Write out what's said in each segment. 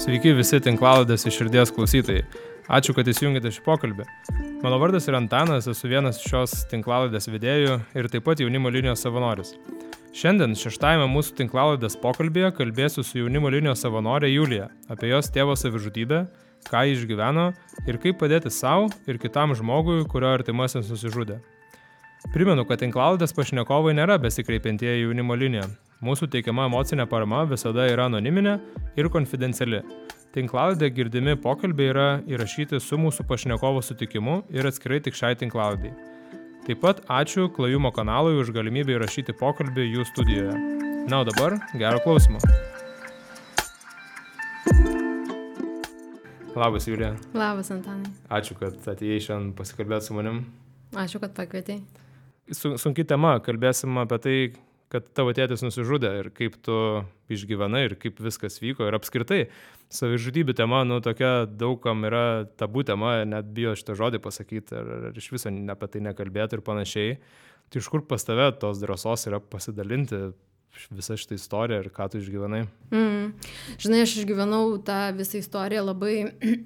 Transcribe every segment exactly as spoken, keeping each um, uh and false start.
Sveiki visi tinklalaidės iš širdies klausytojai. Ačiū, kad įsijungėte šį pokalbį. Mano vardas yra Antanas, esu vienas šios tinklalaidės vedėjų ir taip pat jaunimo linijos savanoris. Šiandien šeštajame mūsų tinklalaidės pokalbėje kalbėsiu su jaunimo linijos savanorė Julija apie jos tėvo savižudybę, ką ji išgyveno ir kaip padėti savo ir kitam žmogui, kurio artimasis nusižudė. Primenu, kad tinklalaidės pašnekovai nėra besikreipiantieji jaunimo linija. Mūsų teikiama emocinė parama visada yra anoniminė ir konfidenciali. Tinklalaidė girdimi pokalbiai yra įrašyti su mūsų pašnekovo sutikimu ir atskirai tik šiai tinklalaidai. Taip pat ačiū Klajumo kanalui už galimybę įrašyti pokalbį jų studijoje. Na, o dabar gero klausimo. Labas, Julija. Labas, Antanai. Ačiū, kad atėjai šiandien pasikalbėti su manim. Ačiū, kad pakvietei. Sunki tema, kalbėsim apie tai, kad tavo tėtis nusižudė ir kaip tu išgyvenai ir kaip viskas vyko ir apskritai savižudybių tema, nu, tokia daugam yra tabu tema, net bijo šitą žodį pasakyti ar, ar iš viso apie tai nekalbėti ir panašiai. Tai iš kur pas tave tos drąsos yra pasidalinti visą šitą istoriją ir ką tu išgyvenai? Mm. Žinai, aš išgyvenau tą visą istoriją labai,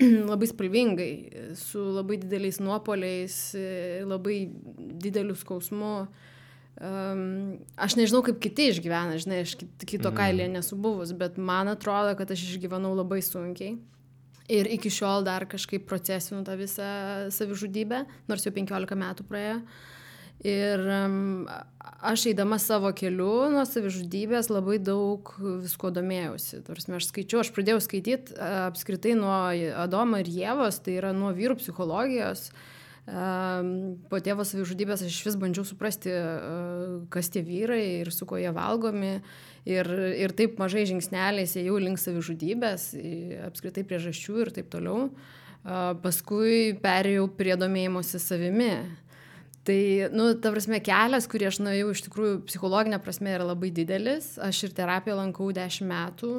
labai spalvingai, su labai dideliais nuopoliais, labai dideliu skausmu. Um, aš nežinau, kaip kiti išgyvena, žinai, aš kito kailėje nesu buvus, bet man atrodo, kad aš išgyvenau labai sunkiai. Ir iki šiol dar kažkaip procesinu tą visą savižudybę, nors jau penkiolika metų praėjo. Ir um, aš eidama savo keliu nuo savižudybės labai daug visko domėjausi. Tarsi, aš skaičiau, aš pradėjau skaityti apskritai nuo Adomo ir Ievos, tai yra nuo vyrų psichologijos. Po tėvo savižudybės aš vis bandžiau suprasti, kas tie vyrai ir su ko jie valgomi. Ir, ir taip mažai žingsneliais ėjau link savižudybės, apskritai priežasčių ir taip toliau. Paskui perėjau prie domėjimosi savimi. Tai, nu, ta prasme, kelias, kurį aš nuėjau, iš tikrųjų, psichologinė prasme yra labai didelis. Aš ir terapiją lankau dešimt metų,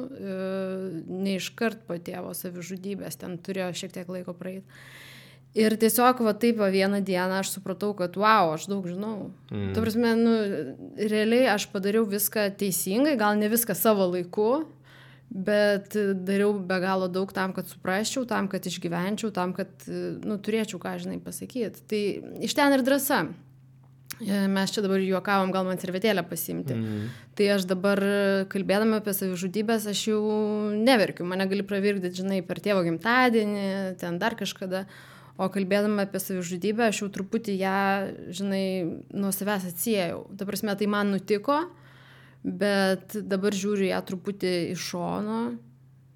ne iškart po tėvo savižudybės, ten turėjo šiek tiek laiko praeiti. Ir tiesiog va taip va vieną dieną aš supratau, kad wow, aš daug žinau. Mm. Ta prasme, nu, realiai aš padariau viską teisingai, gal ne viską savo laiku, bet dariau be galo daug tam, kad suprasčiau, tam, kad išgyvenčiau, tam, kad, nu, turėčiau ką, žinai, pasakyti. Tai iš ten ir drąsa. Mes čia dabar juokavom, gal man servetėlę pasiimti. Mm. Tai aš dabar, kalbėdama apie savižudybės, aš jau neverkiu. Mane gali pravirkdyti, žinai, per tėvo gimtadienį, ten dar kažkada. O kalbėdama apie savižudybę, aš jau truputį ją, žinai, nuo savęs atsiejau. Ta prasme, tai man nutiko, bet dabar žiūriu ją truputį iš šono.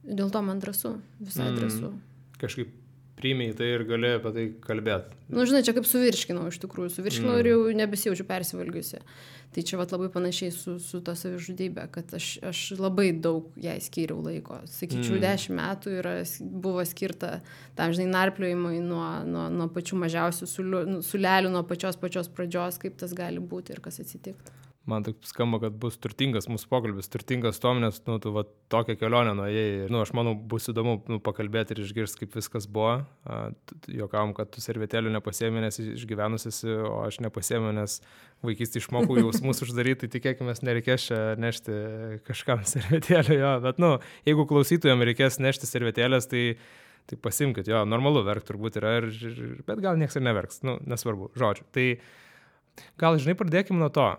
Dėl to man drąsu, visai drąsu. Mm, kažkaip priėmei tai ir gali apie tai kalbėti. Nu, žinai, čia kaip suvirškinau iš tikrųjų. Suvirškinau mm. ir jau nebesijaučiu persivalgiusi. Tai čia vat labai panašiai su, su to savižudybė, kad aš, aš labai daug jai skyriau laiko. Sakyčiau, mm. dešimt metų yra, buvo skirta tam, žinai, narpliojimui nuo, nuo, nuo pačių mažiausių sulelių, nuo pačios pačios pradžios, kaip tas gali būti ir kas atsitiktų. Man taip skamba, kad bus turtingas mūsų pokalbis, turtingas tom, nes, nu, tu va tokią kelionę nuėjai. Nu, aš manau, bus įdomu, nu, pakalbėti ir išgirsti, kaip viskas buvo. Juokavom, kad tu servetėlių nepasiėmė, nes išgyvenusis, o aš nepasiėmė, nes vaikystį išmokau jausmus uždaryti, tai tikėkime, nereikės čia nešti kažkam servetėlį, jo. Bet, nu, jeigu klausytojams reikės nešti servetėlės, tai, tai pasimkit, jo, normalu verkt turbūt yra, ir, bet gal nieks ir neverks, nu, nesvarbu, žodžiu. Tai gal, žinai, pradėkime nuo to.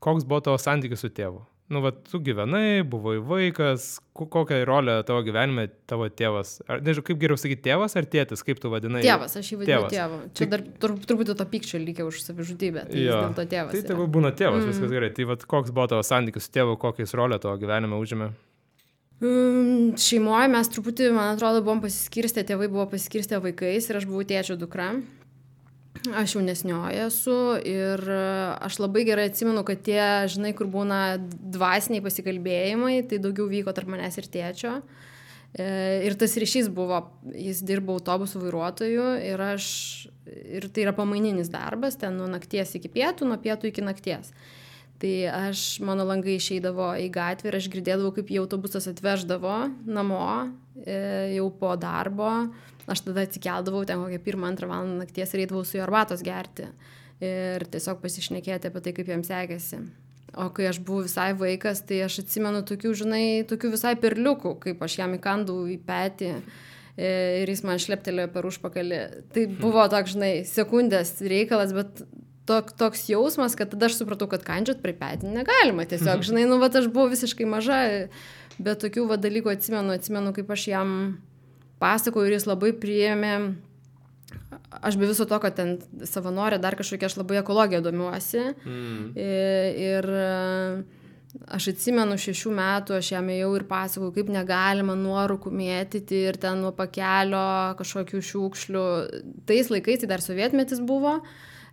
Koks buvo tavo santykis su tėvu? Nu, va, tu gyvenai, buvai vaikas, kokią rolę tavo gyvenime tavo tėvas? Ar, nežinau, kaip geriau sakyti, tėvas ar tėtis, kaip tu vadinai? Tėvas, aš jį vadinu tėvu. Čia dar tur, turbūt to pykčio lygia už savižudybę, tai vis dėl to tėvas. Tai tėvų būna tėvas, mm. viskas gerai. Tai va, koks buvo tavo santykis su tėvu, kokiais rolę tavo gyvenime užėmė? Um, šeimoje mes truputį, man atrodo, buvom pasiskirstę, tėvai buvo pasiskirstę vaikais ir aš buvau tėčio dukra. Aš jaunesnioji esu ir aš labai gerai atsimenu, kad tie, žinai, kur būna dvasiniai pasikalbėjimai, tai daugiau vyko tarp manęs ir tėčio. Ir tas ryšys buvo, jis dirbo autobusų vairuotoju ir aš, ir tai yra pamaininis darbas, ten nuo nakties iki pietų, nuo pietų iki nakties. Tai aš, mano langai išeidavo į gatvę ir aš girdėdavau, kaip jį autobusas atveždavo namo jau po darbo. Aš tada atsikeldavau ten kokią pirmą, antrą valandą nakties ir eidavau su juo arbatos gerti ir tiesiog pasišnekėti apie tai, kaip jam sekėsi. O kai aš buvau visai vaikas, tai aš atsimenu tokių, žinai, tokių visai perliukų, kaip aš jam įkandau į petį ir jis man šleptelėjo per užpakalį. Tai buvo toks, žinai, sekundės reikalas, bet tok, toks jausmas, kad tada aš supratau, kad kandžiot prie petį negalima. Tiesiog, žinai, nu, vat aš buvau visiškai maža, bet tokių va dalykų atsimenu, atsimenu, kaip aš jam pasakojau ir jis labai priėmė. Aš be viso to, kad ten savanorė dar kažkokia, aš labai ekologiją domiuosi. Mm. Ir, ir aš atsimenu šešių metų, aš jam ėjau ir pasakojau, kaip negalima nuorūkų mėtyti ir ten nuo pakelio kažkokių šiukšlių. Tais laikais, tai dar sovietmetis buvo,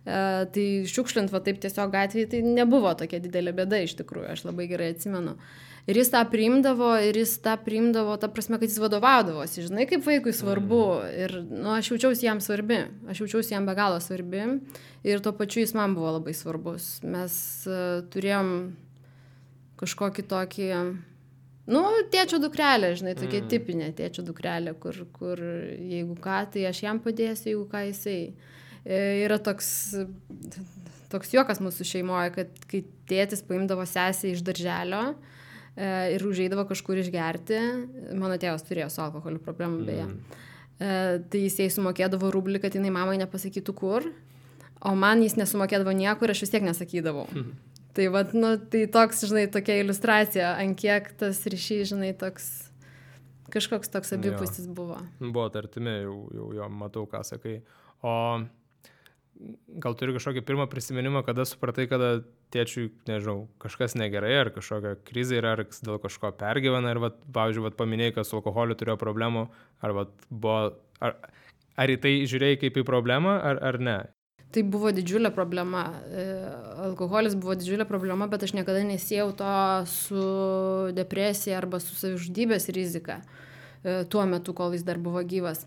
tai šiukšlint va taip tiesiog gatvėje, tai nebuvo tokia didelė bėda iš tikrųjų, aš labai gerai atsimenu. Ir jis tą priimdavo, ir jis tą priimdavo, ta prasme, kad jis vadovaudavosi, žinai, kaip vaikui svarbu. Ir, nu, aš jaučiausi jam svarbi, aš jaučiausi jam be galo svarbi. Ir tuo pačiu jis man buvo labai svarbus. Mes uh, turėjom kažkokį tokį, nu, tėčio dukrelę, žinai, tokia mm. tipinė tėčio dukrelė, kur, kur jeigu ką, tai aš jam padėsiu, jeigu ką jisai. E, yra toks, toks juokas mūsų šeimoje, kad kai tėtis paimdavo sesę iš darželio, ir užeidavo kažkur išgerti. Mano tėvas turėjo su alkoholiu problemų beje. Mm. Tai jis jai sumokėdavo rublį, kad jinai mamai nepasakytų kur, o man jis nesumokėdavo niekur ir aš vis tiek nesakydavau. Mm. Tai, vat, nu, tai toks, žinai, tokia iliustracija, ant kiek tas ryšys, žinai, toks, kažkoks toks abipusis buvo. Buvo tartimi, jau, jau, jau matau, ką sakai. O gal turi kažkokį pirmą prisiminimą, kada supratai, kada tėčiui, nežinau, kažkas negerai, ar kažkokia krizė yra, ar dėl kažko pergyvena, ir, vat, pavyzdžiui, vat, paminėjai, kad su alkoholiu turėjo problemų, ar, vat, buvo, ar, ar į tai žiūrėjai kaip į problemą, ar, ar ne? Tai buvo didžiulė problema. Alkoholis buvo didžiulė problema, bet aš niekada nesiejau to su depresija arba su savižudybės rizika tuo metu, kol jis dar buvo gyvas.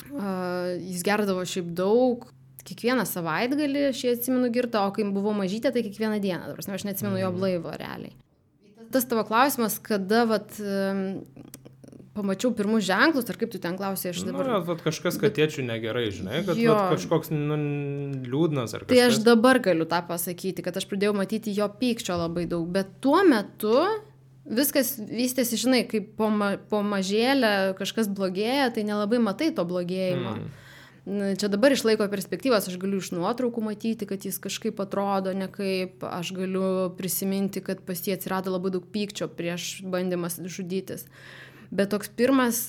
Jis gerdavo šiaip daug. Kiekvieną savaitgalį aš jį atsimenu girtą, o kai buvau mažytė, tai kiekvieną dieną. Prasme, aš neatsimenu jo blaivo realiai. Tas tavo klausimas, kada vat, pamačiau pirmus ženklus, ar kaip tu ten klausai, aš dabar... Na, vat, kažkas, kad tėčiui negerai, žinai, kad vat, kažkoks nu, liūdnas ar kažkas. Tai aš dabar galiu tą pasakyti, kad aš pradėjau matyti jo pykčio labai daug, bet tuo metu viskas vystėsi, žinai, kaip po, ma po mažėlę kažkas blogėja, tai nelabai matai to blogėjimo. Mm. Čia dabar iš laiko perspektyvos aš galiu iš nuotraukų matyti, kad jis kažkaip atrodo nekaip, aš galiu prisiminti, kad pas jį atsirado labai daug pykčio prieš bandymas žudytis. Bet toks pirmas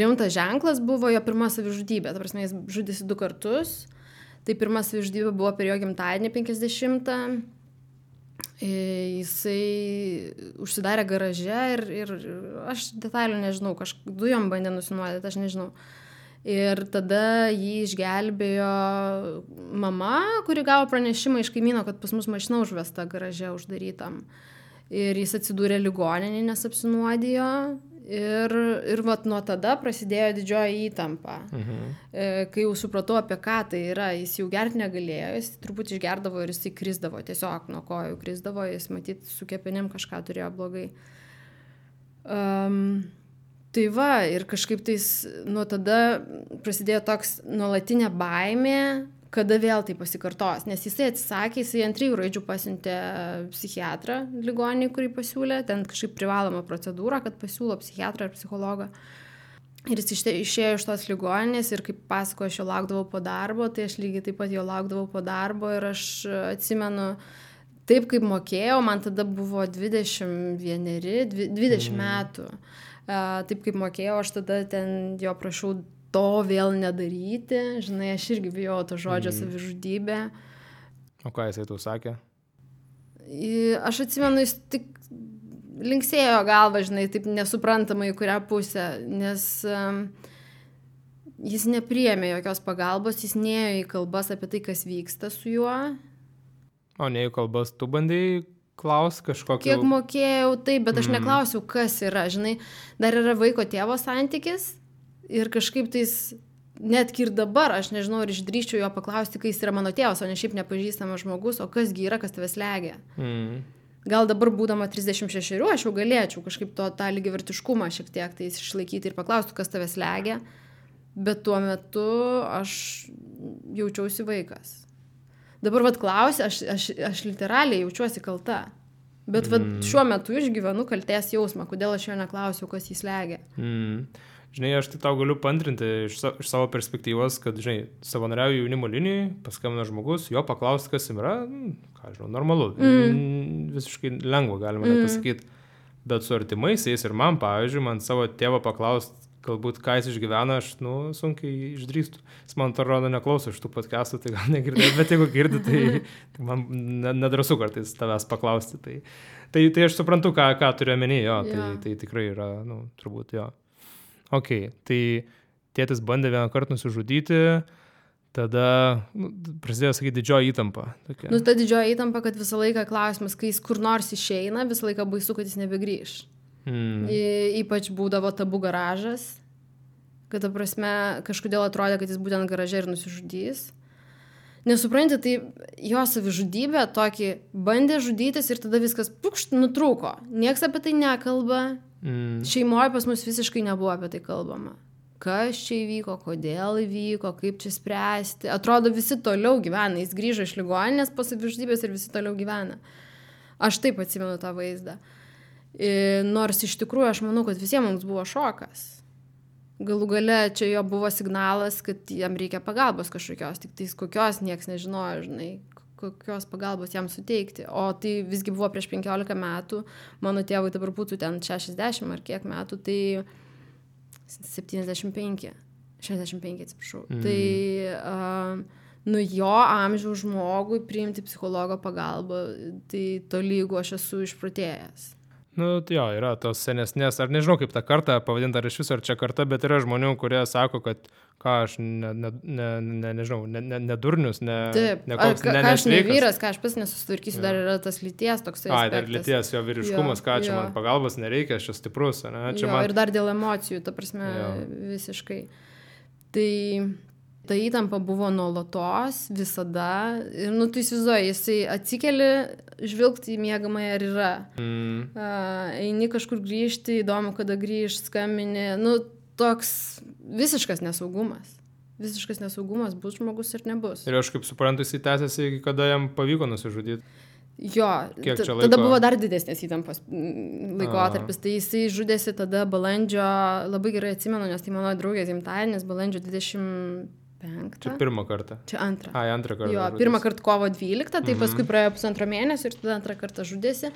rimtas ženklas buvo jo pirma savižudybė. Ta prasme, jis žudėsi du kartus. Tai pirma savižudybė buvo per jo gimtadienį penkiasdešimtą. Jisai užsidarė garaže ir, ir aš detalių nežinau, kažk dujom bandė nusinuodyti, aš nežinau. Ir tada jį išgelbėjo mama, kuri gavo pranešimą iš kaimyno, kad pas mus mašina užvesta garaže uždarytam. Ir jis atsidūrė ligoninėje, nes apsinuodijo. Ir, ir vat nuo tada prasidėjo didžioji įtampa. Mhm. Kai jau supratau, apie ką tai yra, jis jau gerti negalėjo, jis truputį išgerdavo ir jis krisdavo, tiesiog nuo kojų krisdavo, jis matyt su kepenim kažką turėjo blogai. Um, Tai va, ir kažkaip tais nuo tada prasidėjo toks nuolatinė baimė, kada vėl tai pasikartos. Nes jisai atsisakė, jisai ant trijų raidžių pasiuntė psichiatrą ligoninį, kurį pasiūlė. Ten kažkaip privaloma procedūra, kad pasiūlo psichiatrą ar psichologą. Ir jis išėjo iš tos ligoninės ir kaip pasako, aš jo laukdavau po darbo, tai aš lygiai taip pat jo laukdavau po darbo ir aš atsimenu, taip kaip mokėjau, man tada buvo dvidešimt vieneri, dvidešimt mm. metų. Uh, taip kaip mokėjau, aš tada ten jo prašau to vėl nedaryti. Žinai, aš irgi bijau to žodžio mm. savižudybė. O ką jisai tau sakė? Aš atsimenu, jis tik linksėjo galvą, žinai, taip nesuprantamai į kurią pusę, nes um, jis nepriėmė jokios pagalbos, jis nėjo į kalbas apie tai, kas vyksta su juo. O ne į kalbas tu bandai klaus kažkokio... Kiek mokėjau, taip, bet aš mm. neklausiau, kas yra, žinai, dar yra vaiko tėvo santykis ir kažkaip tais, netgi ir dabar, aš nežinau, ar išdrįščiau jo paklausti, kai jis yra mano tėvas, o ne šiaip nepažįstamas žmogus, o kasgi yra, kas tave slegia. Mm. Gal dabar būdama trisdešimt šešerių, aš jau galėčiau kažkaip to tą lygiavertiškumą šiek tiek tai išlaikyti ir paklausti, kas tave slegia, bet tuo metu aš jaučiausi vaikas. Dabar vat klausi, aš, aš, aš literaliai jaučiuosi kalta. Bet vat, Mm. šiuo metu išgyvenu kaltės jausmą, kodėl aš jo neklausiau, kas jį slegia. Mm. Žinai, aš tai tau galiu pantrinti iš, sa- iš savo perspektyvos, kad, žinai, savanoriauju jaunimo linijai, paskambina žmogus, jo paklausti, kas jam yra, mm, ką žinau, normalu, mm. visiškai lengva, galima mm. net pasakyti. Bet su artimaisiais ir man, pavyzdžiui, man savo tėvą paklausti, galbūt ką jis išgyvena, aš, nu, sunkiai išdrįstu. Jis man to rodo neklauso iš tų podcastų, tai gal negirdėjai, bet jeigu girdi, tai, tai man ne- nedrasu kartais tavęs paklausti. Tai, tai, tai aš suprantu, ką, ką turiu omeny, jo, tai, Jo. tai tikrai yra, nu, turbūt, jo. Ok, tai tėtis bandė vieną kartą nusižudyti, tada nu, prasidėjo, sakyti, didžioji įtampa. Tokia. Nu, ta didžioji įtampa, kad visą laiką klausimas, kai jis kur nors išeina, visą laiką baisu, kad jis nebegrįš. Mm. Y, ypač būdavo tabu garažas, kad, ta prasme, kažkodėl atrodė, kad jis būtent garaže ir nusižudys. Nesupranti, tai jo savižudybė tokį bandė žudytis ir tada viskas pukšt nutrūko. Niekas apie tai nekalba. Mm. Šeimoje pas mus visiškai nebuvo apie tai kalbama. Kas čia įvyko, kodėl įvyko, kaip čia spręsti. Atrodo, visi toliau gyvena. Jis grįžo iš ligoninės po savižudybės ir visi toliau gyvena. Aš taip atsimenu tą vaizdą. I, nors iš tikrųjų aš manau, kad visiems mums buvo šokas. Galų gale čia jo buvo signalas, kad jam reikia pagalbos kažkokios, tik tais kokios nieks nežinojo, žinai, kokios pagalbos jam suteikti. O tai visgi buvo prieš penkiolika metų, mano tėvui dabar būtų ten šešiasdešimt ar kiek metų, tai septyniasdešimt penki, šešiasdešimt penki, atsiprašau. Mm. Tai, uh, nu, jo amžiaus žmogui priimti psichologo pagalbą, tai tolygu aš esu išprotėjęs. Nu, tai jo, yra tos senesnės, ar nežinau kaip tą kartą pavadinti, ar iš viso ar čia karta, bet yra žmonių, kurie sako, kad ką aš, ne, ne, ne, ne, nežinau, ne, ne, ne durnius, ne, Taip, ne ar koks, ką ne, ką aš ne nesveikas. vyras, ką aš pats nesusitvarkysiu, Jo. dar yra tas lyties toksai Ai, aspektas. dar lyties, jo vyriškumas, Jo, ką čia jo. man pagalbos nereikia, aš čia stiprus, ne? Čia Jo, man... ir dar dėl emocijų, ta prasme, Jo. visiškai. Tai ta įtampa buvo nuolatos, visada. Ir, nu, tu įsivaizduoji, jisai atsikeli, žvilgti į miegamąją ir yra. Mm. Uh, eini kažkur grįžti, įdomu, kada grįž, skambini. Nu, toks visiškas nesaugumas. Visiškas nesaugumas, bus žmogus ir nebus. Ir aš kaip suprantu, jis tęsiasi, iki kada jam pavyko nusižudyti. Jo, Kiek t- čia tada laiko? buvo dar didesnės įtampos mm, laikotarpis. Tai jisai žudėsi tada balandžio, labai gerai atsimenu, nes tai mano draugės gimtadienis, balandžio dvidešimt penktą. Čia pirmą kartą. Čia antrą. Ai, antrą kartą. Jo, žudėsi. pirmą kartą kovo dvyliktą, tai Mhm. paskui praėjo pusantro mėnesio ir tada antrą kartą žudėsi.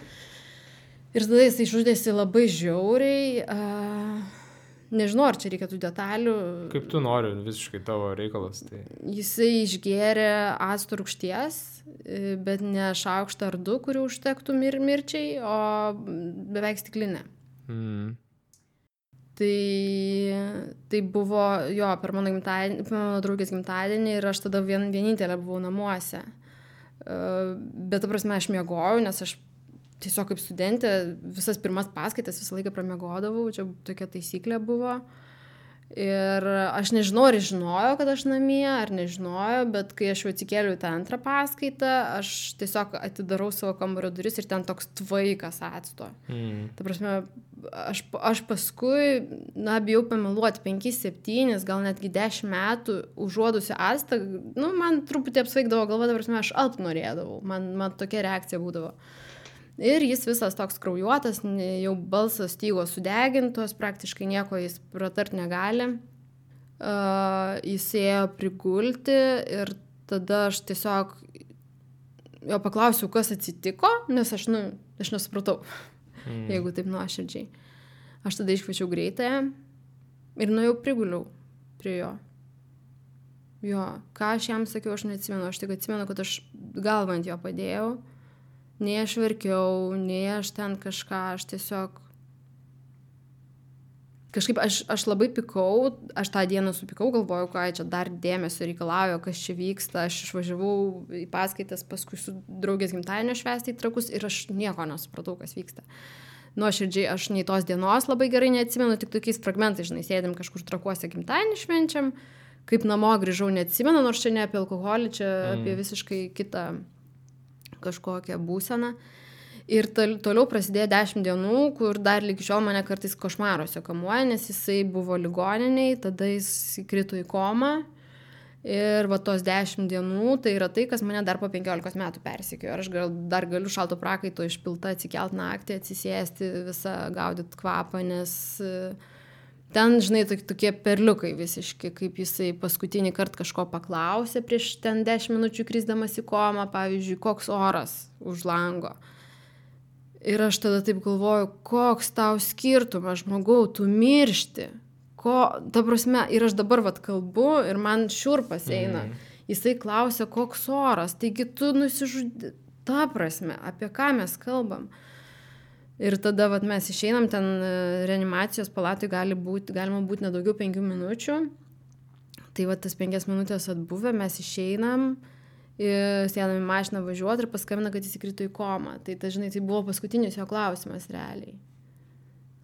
Ir tada jisai žudėsi labai žiauriai. Uh, nežinau, ar čia reikia tų detalių. Kaip tu nori, visiškai tavo reikalas. Tai... Jisai išgėrė acto rūgšties, e, bet ne šaukštą ar du, kurių užtektų mir mirčiai, o beveik stiklinę. Mm. Tai, tai buvo jo per mano, gimtadienį, per mano draugės gimtadienį ir aš tada vien, vienintelė buvau namuose. Uh, bet, ta prasme, aš miegojau, nes aš tiesiog kaip studentė visas pirmas paskaitas visą laiką pramiegodavau, čia tokia taisyklė buvo. Ir aš nežinau, ar jis žinojo, kad aš namie, ar nežinojo, bet kai aš jau atsikėliau į tą antrą paskaitą, aš tiesiog atidarau savo kambario duris ir ten toks tvaikas acto. Mm. Ta prasme, aš, aš paskui, na, bijau pameluoti, penkis, septynis, gal netgi dešimt metų užuodusi actą, nu, man truputį apsvaigdavo galva, ta prasme, aš alpt norėdavau, man, man tokia reakcija būdavo. Ir jis visas toks kraujuotas, ne- jau balsas stygos sudegintos, praktiškai nieko jis pratart negali. Uh, jis ėjo prigulti ir tada aš tiesiog jo paklausiau, kas atsitiko, nes aš, nu, aš nesupratau, Mm. jeigu taip nuoširdžiai. Aš tada iškviečiau greitąją ir nuėjau priguliau prie jo. Jo, ką aš jam sakiau, aš neatsimenu, aš tik atsimenu, kad aš galvą ant jo padėjau. Nei aš verkiau, nei aš ten kažką, aš tiesiog... Kažkaip aš, aš labai pikau, aš tą dieną supikau, galvojau, ką čia dar dėmesio reikalauja, kas čia vyksta. Aš išvažiavau į paskaitas, paskui su draugės gimtadienio švęsti į Trakus ir aš nieko nesupratau, kas vyksta. Nuoširdžiai aš nei tos dienos labai gerai neatsimenu, tik tokiais fragmentais, žinai, sėdėm kažkur Trakuose gimtadienį švenčiam, kaip namo grįžau neatsimenu, nors čia ne apie alkoholį, čia Mm. apie visiškai kitą kažkokią būseną. Ir tol, toliau prasidėjo dešimt dienų, kur dar lygi šiol mane kartais košmaruose kamuoja, nes jisai buvo ligoniniai, tada jis įkrito į komą Ir va tos dešimt dienų, tai yra tai, kas mane dar po penkiolikos metų persikėjo. Ir aš gal, dar galiu šalto prakaito išpilta atsikelt naktį, atsisėsti, visą gaudyti kvapą, nes ten, žinai, tokie perliukai visiški, kaip jisai paskutinį kartą kažko paklausė prieš ten dešimt minučių krisdamas į komą, pavyzdžiui, koks oras už lango. Ir aš tada taip galvoju, koks tau skirtumas, žmogau, tu miršti. Ko, ta prasme, ir aš dabar vat kalbu ir man šiurpas eina. Mm. Jisai klausia, koks oras, taigi tu nusižudė. Ta prasme, apie ką mes kalbam. Ir tada vat mes išeinam, ten reanimacijos palatui gali būti, galima būti nedaugiau penkių minučių. Tai vat tas penkias minutės atbuvę, mes išeinam, sėdam į mašiną važiuoti ir paskambina, kad jis įkrito į komą. Tai ta, žinai, tai buvo paskutinis jo klausimas realiai.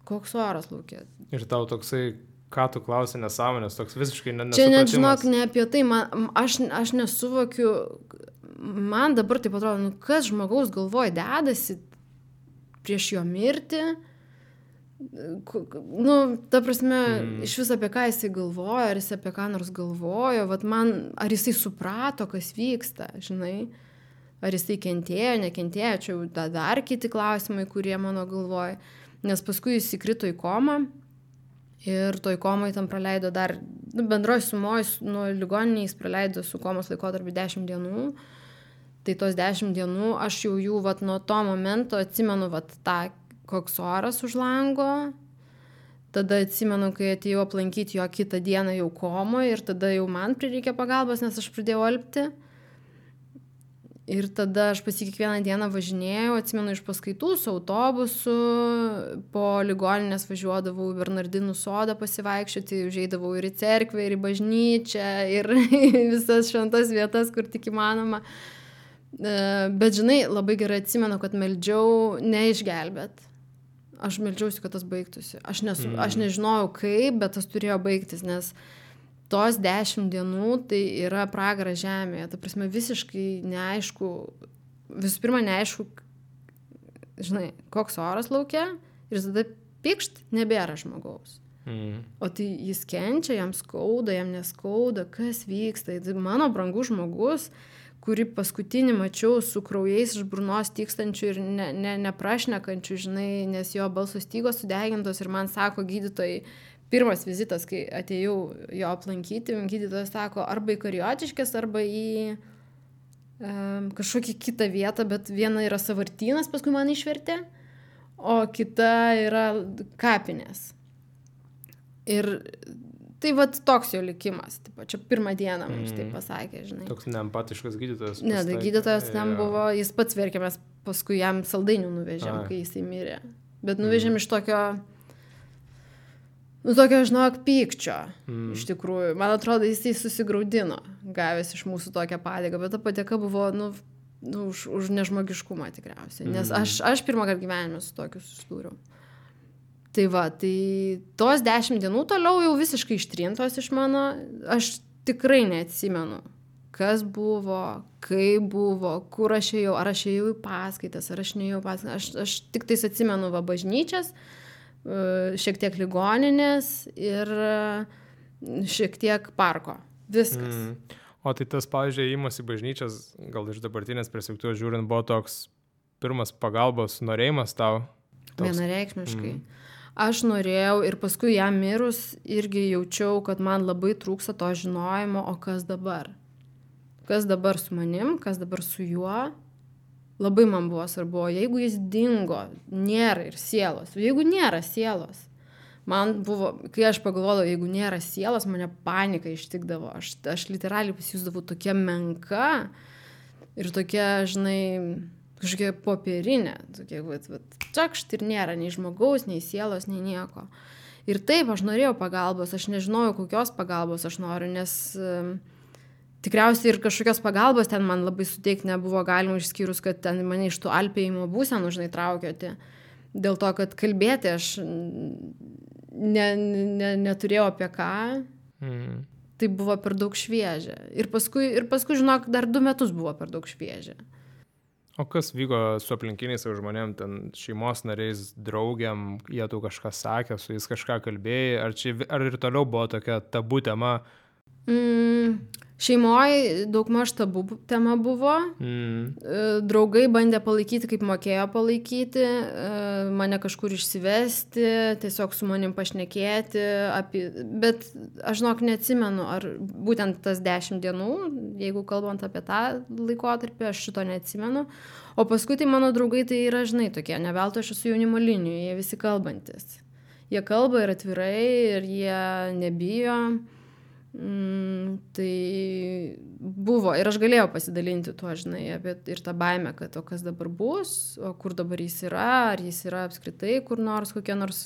Koks oras laukia? Ir tau toksai, ką tu klausi, nesąmonės, toks visiškai nesupratimas. Čia net, žinok, ne apie tai, man, aš, aš nesuvokiu, man dabar taip atrodo, nu kas žmogaus galvoje dedasi prieš jo mirtį, nu, ta prasme, mm. iš vis apie ką jisai galvoja, ar jis apie ką nors galvojo, vat man, ar jisai suprato, kas vyksta, žinai, ar jisai kentėjo, nekentėjo, čia jau dar kiti klausimai, kurie mano galvoja, nes paskui jis įkrito į komą. Ir toj komoj tam praleido dar, nu, bendroj sumoj, nuo ligoninės jis praleido su komos laikotarpiu dešimt dienų. Tai tos dešimt dienų aš jau jų, vat, nuo to momento atsimenu, vat, tą, koks oras už lango. Tada atsimenu, kai atėjau aplankyti jo kitą dieną jau komoje ir tada jau man prireikė pagalbos, nes aš pradėjau alpti. Ir tada aš pas jį kiekvieną dieną važinėjau, atsimenu iš paskaitų su autobusu, po ligoninės važiuodavau į Bernardinų sodą pasivaikščioti, užeidavau ir į cerkvę, ir į bažnyčią, ir visas šventas vietas, kur tik įmanoma. Bet, žinai, labai gerai atsimenu, kad meldžiau neišgelbėt. Aš meldžiausi, kad tas baigtųsi. Aš, nesu, mm. aš nežinojau kaip, bet tas turėjo baigtis, nes tos dešimt dienų tai yra pragaras žemėje. Ta prasme, visiškai neaišku, visų pirma, neaišku, žinai, koks oras laukia ir tada pikšt, nebėra žmogaus. Mm. O tai jis kenčia, jam skauda, jam neskauda, kas vyksta. Tai mano brangus žmogus, kurį paskutinį mačiau su kraujais iš burnos tykstančių ir ne, ne, neprašnekančių, žinai, nes jo balso stygos sudegintos ir man sako gydytojai, pirmas vizitas, kai atėjau jo aplankyti, gydytojas sako, arba į Kariotiškes, arba į um, kažkokį kitą vietą, bet viena yra Sąvartynas, paskui man išvertė, o kita yra Kapinės. Ir tai vat toks jo likimas. Taip, čia pirmą dieną mums mm. tai pasakė, žinai. Toks neempatiškas gydytojas. Ne, tai gydytojas ten buvo, jis pats verkė, mes paskui jam saldainių nuvežėm, A. kai jisai mirė. Bet nuvežėm mm. iš tokio Nu, tokio, žinok, pykčio, mm. iš tikrųjų. Man atrodo, jisai susigraudino, gavęs iš mūsų tokią padėką, bet ta padėka buvo, nu, nu už, už nežmogiškumą tikriausiai. Nes aš, aš pirmą kartą gyvenime su tokiu susidūriau. Tai va, tai tos dešimt dienų toliau jau visiškai ištrintos iš mano, aš tikrai neatsimenu, kas buvo, kaip buvo, kur aš ėjau, ar aš ėjau į paskaitas, ar aš neėjau į paskaitas. Aš, aš tik tais atsimenu va bažnyčias, šiek tiek ligoninės ir šiek tiek parko. Viskas. Mm. O tai tas, pavyzdžiui, įimas į bažnyčias, gal iš dabartinės perspektyvos žiūrint, buvo toks pirmas pagalbos norėjimas tau? Toks... Vienareikšmiškai. Mm. Aš norėjau ir paskui jam mirus irgi jaučiau, kad man labai trūksta to žinojimo, o kas dabar? Kas dabar su manim, kas dabar su juo? Labai man buvo svarbu, jeigu jis dingo, nėra ir sielos. Jeigu nėra sielos, man buvo, kai aš pagalvodavau, jeigu nėra sielos, mane panika ištikdavo. Aš, aš literaliai pasijusdavau tokia menka ir tokia, žinai, kažkokia popierinė. Tokia, vat, vat, čakšt ir nėra nei žmogaus, nei sielos, nei nieko. Ir taip, aš norėjau pagalbos, aš nežinojau, kokios pagalbos aš noriu, nes... Tikriausiai ir kažkokios pagalbos ten man labai suteikti nebuvo galima, išskyrus, kad ten mane iš tų alpėjimo būsenų, žinai, traukioti. Dėl to, kad kalbėti aš ne, ne, neturėjau apie ką. Mm. Tai buvo per daug šviežia. Ir paskui, ir paskui, žinok, dar du metus buvo per daug šviežia. O kas vyko su aplinkiniais žmonėm, ten šeimos nariais, draugiam, jie tu kažką sakė, su jais kažką kalbėjai, ar, čia, ar ir toliau buvo tokia tabu tema? Mm. Šeimoje daugmaž tabu tema buvo. Mm. Draugai bandė palaikyti, kaip mokėjo palaikyti, mane kažkur išsivesti, tiesiog su manim pašnekėti. Apie... Bet aš žinok, neatsimenu, ar būtent tas dešimt dienų, jeigu kalbant apie tą laikotarpį, aš šito neatsimenu. O paskui tai mano draugai tai yra, žinai, tokie, ne veltui aš esu jaunimo linijoje, jie visi kalbantis. Jie kalba ir atvirai, ir jie nebijo. Mm, tai buvo ir aš galėjau pasidalinti tuo, žinai, apie ir tą baimę, kad o kas dabar bus, o kur dabar jis yra, ar jis yra apskritai kur nors, kokia nors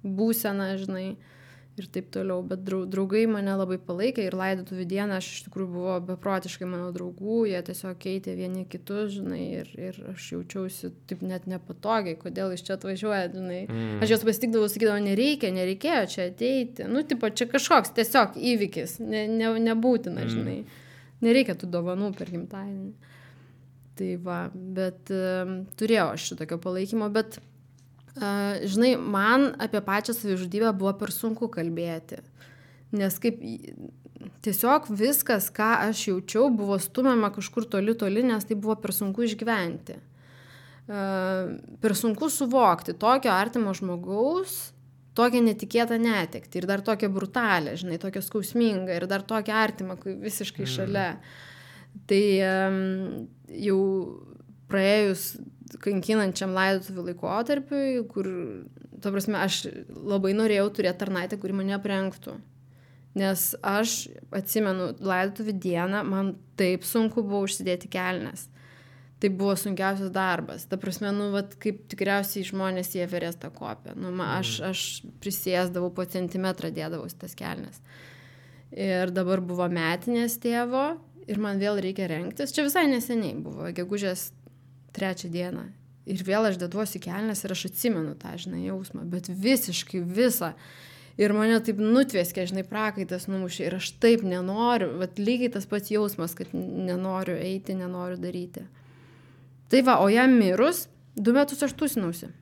būsena, žinai, ir taip toliau, bet draugai mane labai palaikė ir laidotuvių dieną aš iš tikrųjų buvo beprotiškai mano draugų, jie tiesiog keitė vieni kitus, žinai, ir, ir aš jaučiausi taip net nepatogiai, kodėl iš čia atvažiuoja, žinai. Mm. Aš jos pasitikdavau, sakydavau, nereikia, nereikėjo čia ateiti, nu, tipo, čia kažkoks tiesiog įvykis, ne, ne, nebūtina, žinai, nereikia tų dovanų per gimtadienį. Tai va, bet um, turėjau aš šitokio palaikymo, bet Uh, žinai, man apie pačią savižudybę buvo per sunku kalbėti, nes kaip tiesiog viskas, ką aš jaučiau, buvo stumiama kažkur toli toli, nes tai buvo per sunku išgyventi. Uh, per sunku suvokti tokio artimo žmogaus, tokią netikėtą netektį ir dar tokią brutalę, žinai, tokią skausmingą ir dar tokią artimą, visiškai šalia. Mm. Tai um, jau praėjus kankinančiam laidotuvių laikotarpiui, kur, ta prasme, aš labai norėjau turėti tarnaitę, kuri mane aprengtų. Nes aš atsimenu laidotuvių dieną, man taip sunku buvo užsidėti kelnes. Tai buvo sunkiausias darbas. Ta prasme, nu, vat, kaip tikriausiai žmonės į Everestą kopia. Nu, ma, aš, aš prisėsdavau po centimetrą, dėdavau tas kelnes. Ir dabar buvo metinės tėvo ir man vėl reikia rengtis. Čia visai neseniai buvo, gegužės trečią dieną. Ir vėl aš deduosi kelnes ir aš atsimenu tą, žinai, jausmą, bet visiškai visą. Ir mane taip nutvėskė, žinai, prakaitas numušė ir aš taip nenoriu, vat lygiai tas pats jausmas, kad nenoriu eiti, nenoriu daryti. Tai va, o jam mirus, du metus aš tūsinausi.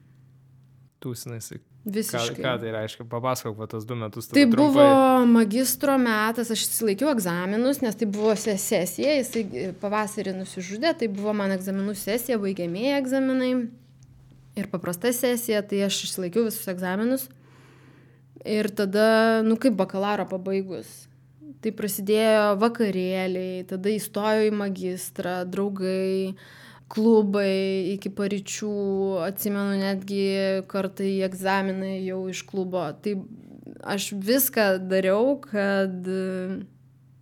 Tūsinaisi. Visiškai. Ką, ką tai reiškia? Papasakok, va, tas du metus. Tai trumpai. buvo magistro metas, aš išsilaikiau egzaminus, nes tai buvo sesija, jisai pavasarį nusižudė, tai buvo man egzaminų sesija, baigiamieji egzaminai ir paprasta sesija, tai aš išsilaikiau visus egzaminus ir tada, nu kaip bakalauro pabaigus, tai prasidėjo vakarėliai, tada įstojau į magistrą, draugai, klubai iki paryčių, atsimenu netgi kartą į egzaminai jau iš klubo. Tai aš viską dariau, kad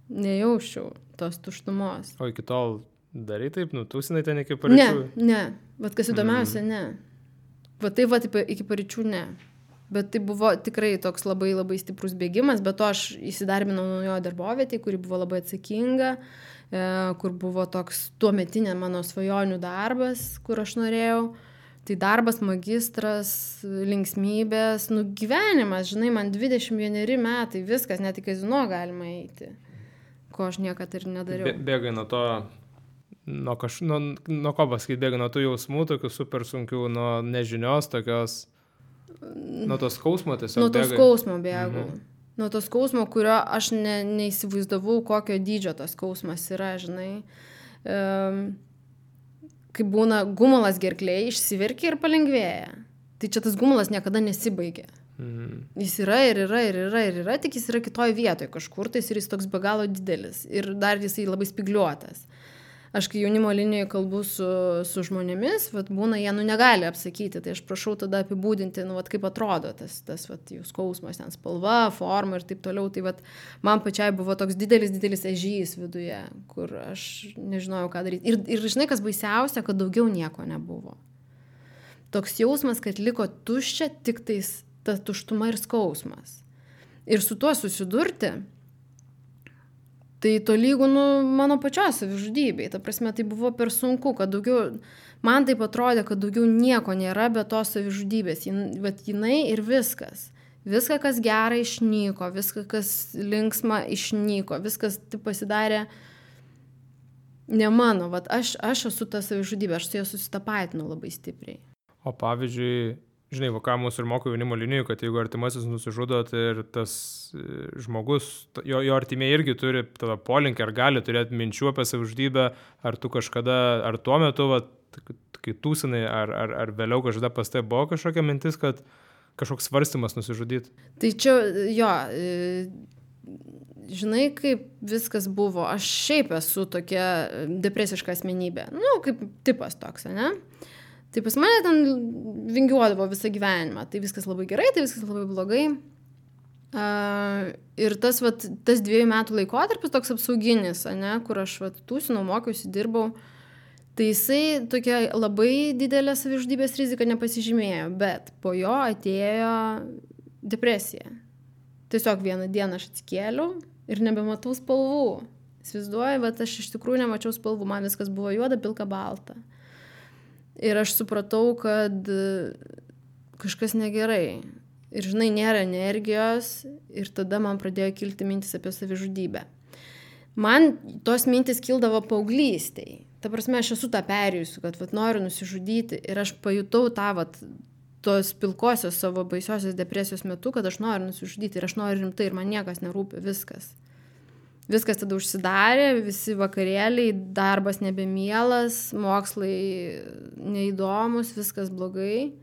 nejausčiau tos tuštumos. O iki tol darai taip, nu, tūsinai ten iki paryčių? Ne, ne. Vat kas įdomiausia, mm. ne. Va taip, va taip, iki paryčių ne. Bet tai buvo tikrai toks labai labai stiprus bėgimas, bet to aš įsidarbinau naujoje darbovietėje, kuri buvo labai atsakinga, kur buvo toks tuometinė mano svajonių darbas, kur aš norėjau. Tai darbas, magistras, linksmybės, nu gyvenimas, žinai, man dvidešimt vieneri metai, viskas, net į kazino galima eiti, ko aš niekad ir nedariau. Bė, bėgai nuo to, nuo, kaž, nuo, nuo ko pasakyti, bėgai nuo tų jausmų, tokių super sunkių, nuo nežinios, tokios, nuo to skausmo tiesiog nuo to bėgai. Skausmo bėgau. Mhm. Nuo to skausmo, kurio aš ne, neįsivaizdavau, kokio dydžio tas skausmas yra, žinai. Um, kai būna gumulas gerklėje, išsiverkia ir palengvėja. Tai čia tas gumulas niekada nesibaigia. Mhm. Jis yra ir yra ir yra ir yra, tik jis yra kitoj vietoje kažkur, tais ir jis toks be galo didelis. Ir dar jisai labai spigliuotas. Aš kai jaunimo linijoje kalbu su, su žmonėmis, vat, būna, jie nu negali apsakyti, tai aš prašau tada apibūdinti, nu, vat, kaip atrodo tas, tas vat, jų skausmas, ten spalva, forma ir taip toliau. Tai vat, man pačiai buvo toks didelis, didelis ežys viduje, kur aš nežinojau, ką daryti. Ir, ir žinai, kas baisiausia, kad daugiau nieko nebuvo. Toks jausmas, kad liko tuščia, tik tais ta tuštuma ir skausmas. Ir su tuo susidurti, tai tolygų, nu, mano pačios savižudybei. Ta prasme, tai buvo per sunku, kad daugiau, man taip atrodė, kad daugiau nieko nėra be tos savižudybės. Bet jinai ir viskas. Viską, kas gera, išnyko, viską, kas linksma, išnyko, viskas taip pasidarė ne mano. Vat aš, aš esu ta savižudybė, aš su ja susitapatinau labai stipriai. O pavyzdžiui, žinai, va, ką mūsų ir moko jaunimo linijų, kad jeigu artimasis nusižudo, tai ir tas žmogus, jo, jo artimieji irgi turi tada polinkį, ar gali turėti minčių apie savižudybę, ar tu kažkada, ar tuo metu, va, kai tūsinai, ar, ar, ar vėliau kažkada pas tai buvo kažkokia mintis, kad kažkoks svarstymas nusižudyti. Tai čia, jo, žinai, kaip viskas buvo. Aš šiaip esu tokia depresiška asmenybė. Nu, kaip tipas toks, ne? Tai pas mane ten vingiuodavo visą gyvenimą. Tai viskas labai gerai, tai viskas labai blogai. Uh, ir tas, vat, tas dviejų metų laikotarpis toks apsauginis, ne? Kur aš vat, tūsinau, mokiausi, dirbau. Tai jisai tokia labai didelė savižudybės rizika nepasižymėjo, bet po jo atėjo depresija. Tiesiog vieną dieną aš atsikėliau ir nebematau spalvų. Įsivaizduoju, bet aš iš tikrųjų nemačiau spalvų, man viskas buvo juoda, pilka, balta. Ir aš supratau, kad kažkas negerai. Ir žinai, nėra energijos ir tada man pradėjo kilti mintis apie savižudybę. Man tos mintis kildavo paauglystėj. Ta prasme, aš esu tą perėjusiu, kad vat, noriu nusižudyti ir aš pajutau tą vat, tos pilkosios savo baisiosios depresijos metu, kad aš noriu nusižudyti ir aš noriu rimtai ir man niekas nerūpi, viskas. Viskas tada užsidarė, visi vakarėliai, darbas nebemielas, mokslai neįdomus, viskas blogai.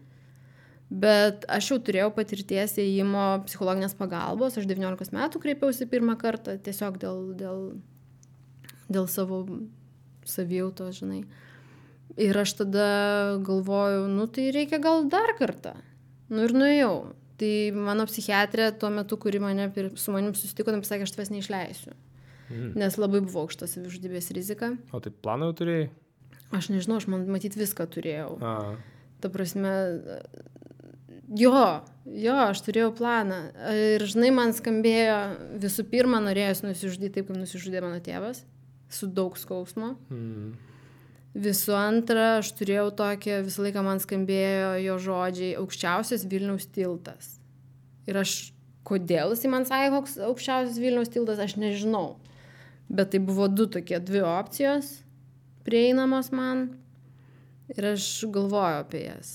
Bet aš jau turėjau patirties ėjimo psichologinės pagalbos, aš devyniolikos metų kreipiausi pirmą kartą, tiesiog dėl, dėl, dėl savo savijautos, žinai. Ir aš tada galvoju, nu tai reikia gal dar kartą. Nu ir nuėjau. Tai mano psichiatrė tuo metu, kuri mane su manim susitiko, tam pasakė, aš tavęs neišleisiu. Mm. Nes labai buvo aukšta savižudybės rizika. O tai planą jau turėjai? Aš nežinau, aš man matyt viską turėjau. A. Ta prasme, jo, jo, aš turėjau planą. Ir žinai, man skambėjo, visų pirma, norėjus nusižudyti taip, kaip nusižudė mano tėvas. Su daug skausmo. Mm. Visų antra, aš turėjau tokią, visą laiką man skambėjo jo žodžiai, aukščiausias Vilniaus tiltas. Ir aš, kodėl jis man sakė, koks aukščiausias Vilniaus tiltas, aš nežinau. Bet tai buvo du tokie, dvi opcijos prieinamos man. Ir aš galvoju apie jas.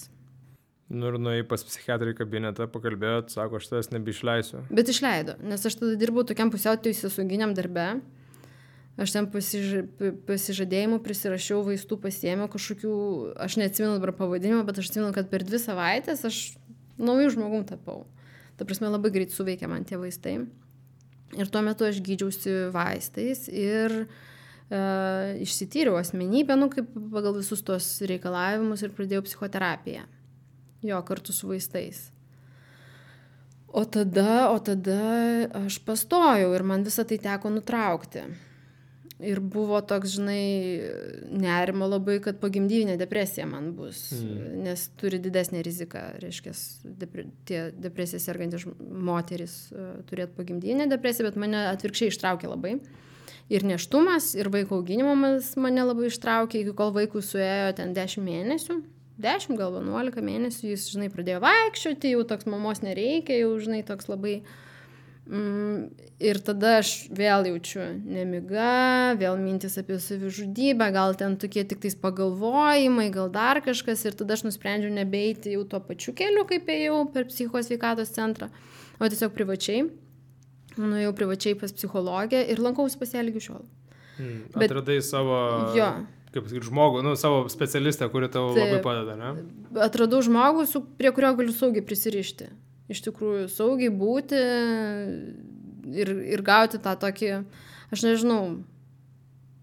Nu ir nuėjai pas psichiatrą į kabinetą, pakalbėjot, sako, aš tavęs nebeišleisiu. Bet išleido, nes aš tada dirbau tokiam pusiau teisėsauginiam darbe. Aš ten pasiž... pasižadėjimų prisirašiau, vaistų pasiėmiau kažkokių, aš neatsimenu dabar pavadinimą, bet aš atsimenu, kad per dvi savaitės aš naujų žmogum tapau. Ta prasme, labai greit suveikė man tie vaistai. Ir tuo metu aš gydžiausi vaistais ir e, išsityriau asmenybę, nu, kaip pagal visus tos reikalavimus ir pradėjau psichoterapiją. Jo, kartu su vaistais. O tada, o tada aš pastojau ir man visą tai teko nutraukti. Ir buvo toks, žinai, nerimo labai, kad pogimdyvinė depresija man bus, mm. nes turi didesnę riziką, reiškia, depre, tie depresija sergantis moteris uh, turėtų pogimdyvinę depresiją, bet mane atvirkščiai ištraukė labai. Ir nėštumas, ir vaiko auginimas mane labai ištraukė, iki kol vaikui suėjo ten dešimt mėnesių, dešimt gal vienuolika mėnesių, jis, žinai, pradėjo vaikščioti, jau toks mamos nereikia, jau, žinai, toks labai... Mm, ir tada aš vėl jaučiu nemiga, vėl mintis apie savižudybę, gal ten tokie tik tais pagalvojimai, gal dar kažkas, ir tada aš nusprendžiau nebeiti jau tuo pačiu keliu, kaip ėjau per psichikos sveikatos centrą, o tiesiog privačiai. Nuėjau privačiai pas psichologę ir lankausi pas ją lygi šiol. Hmm, atradai Bet, savo, jo. kaip sakyti, žmogų, nu, savo specialistą, kuri tau tai, labai padeda, ne? Atradau žmogų, su, prie kurio galiu saugiai prisirišti. Iš tikrųjų, saugiai būti ir, ir gauti tą tokį, aš nežinau,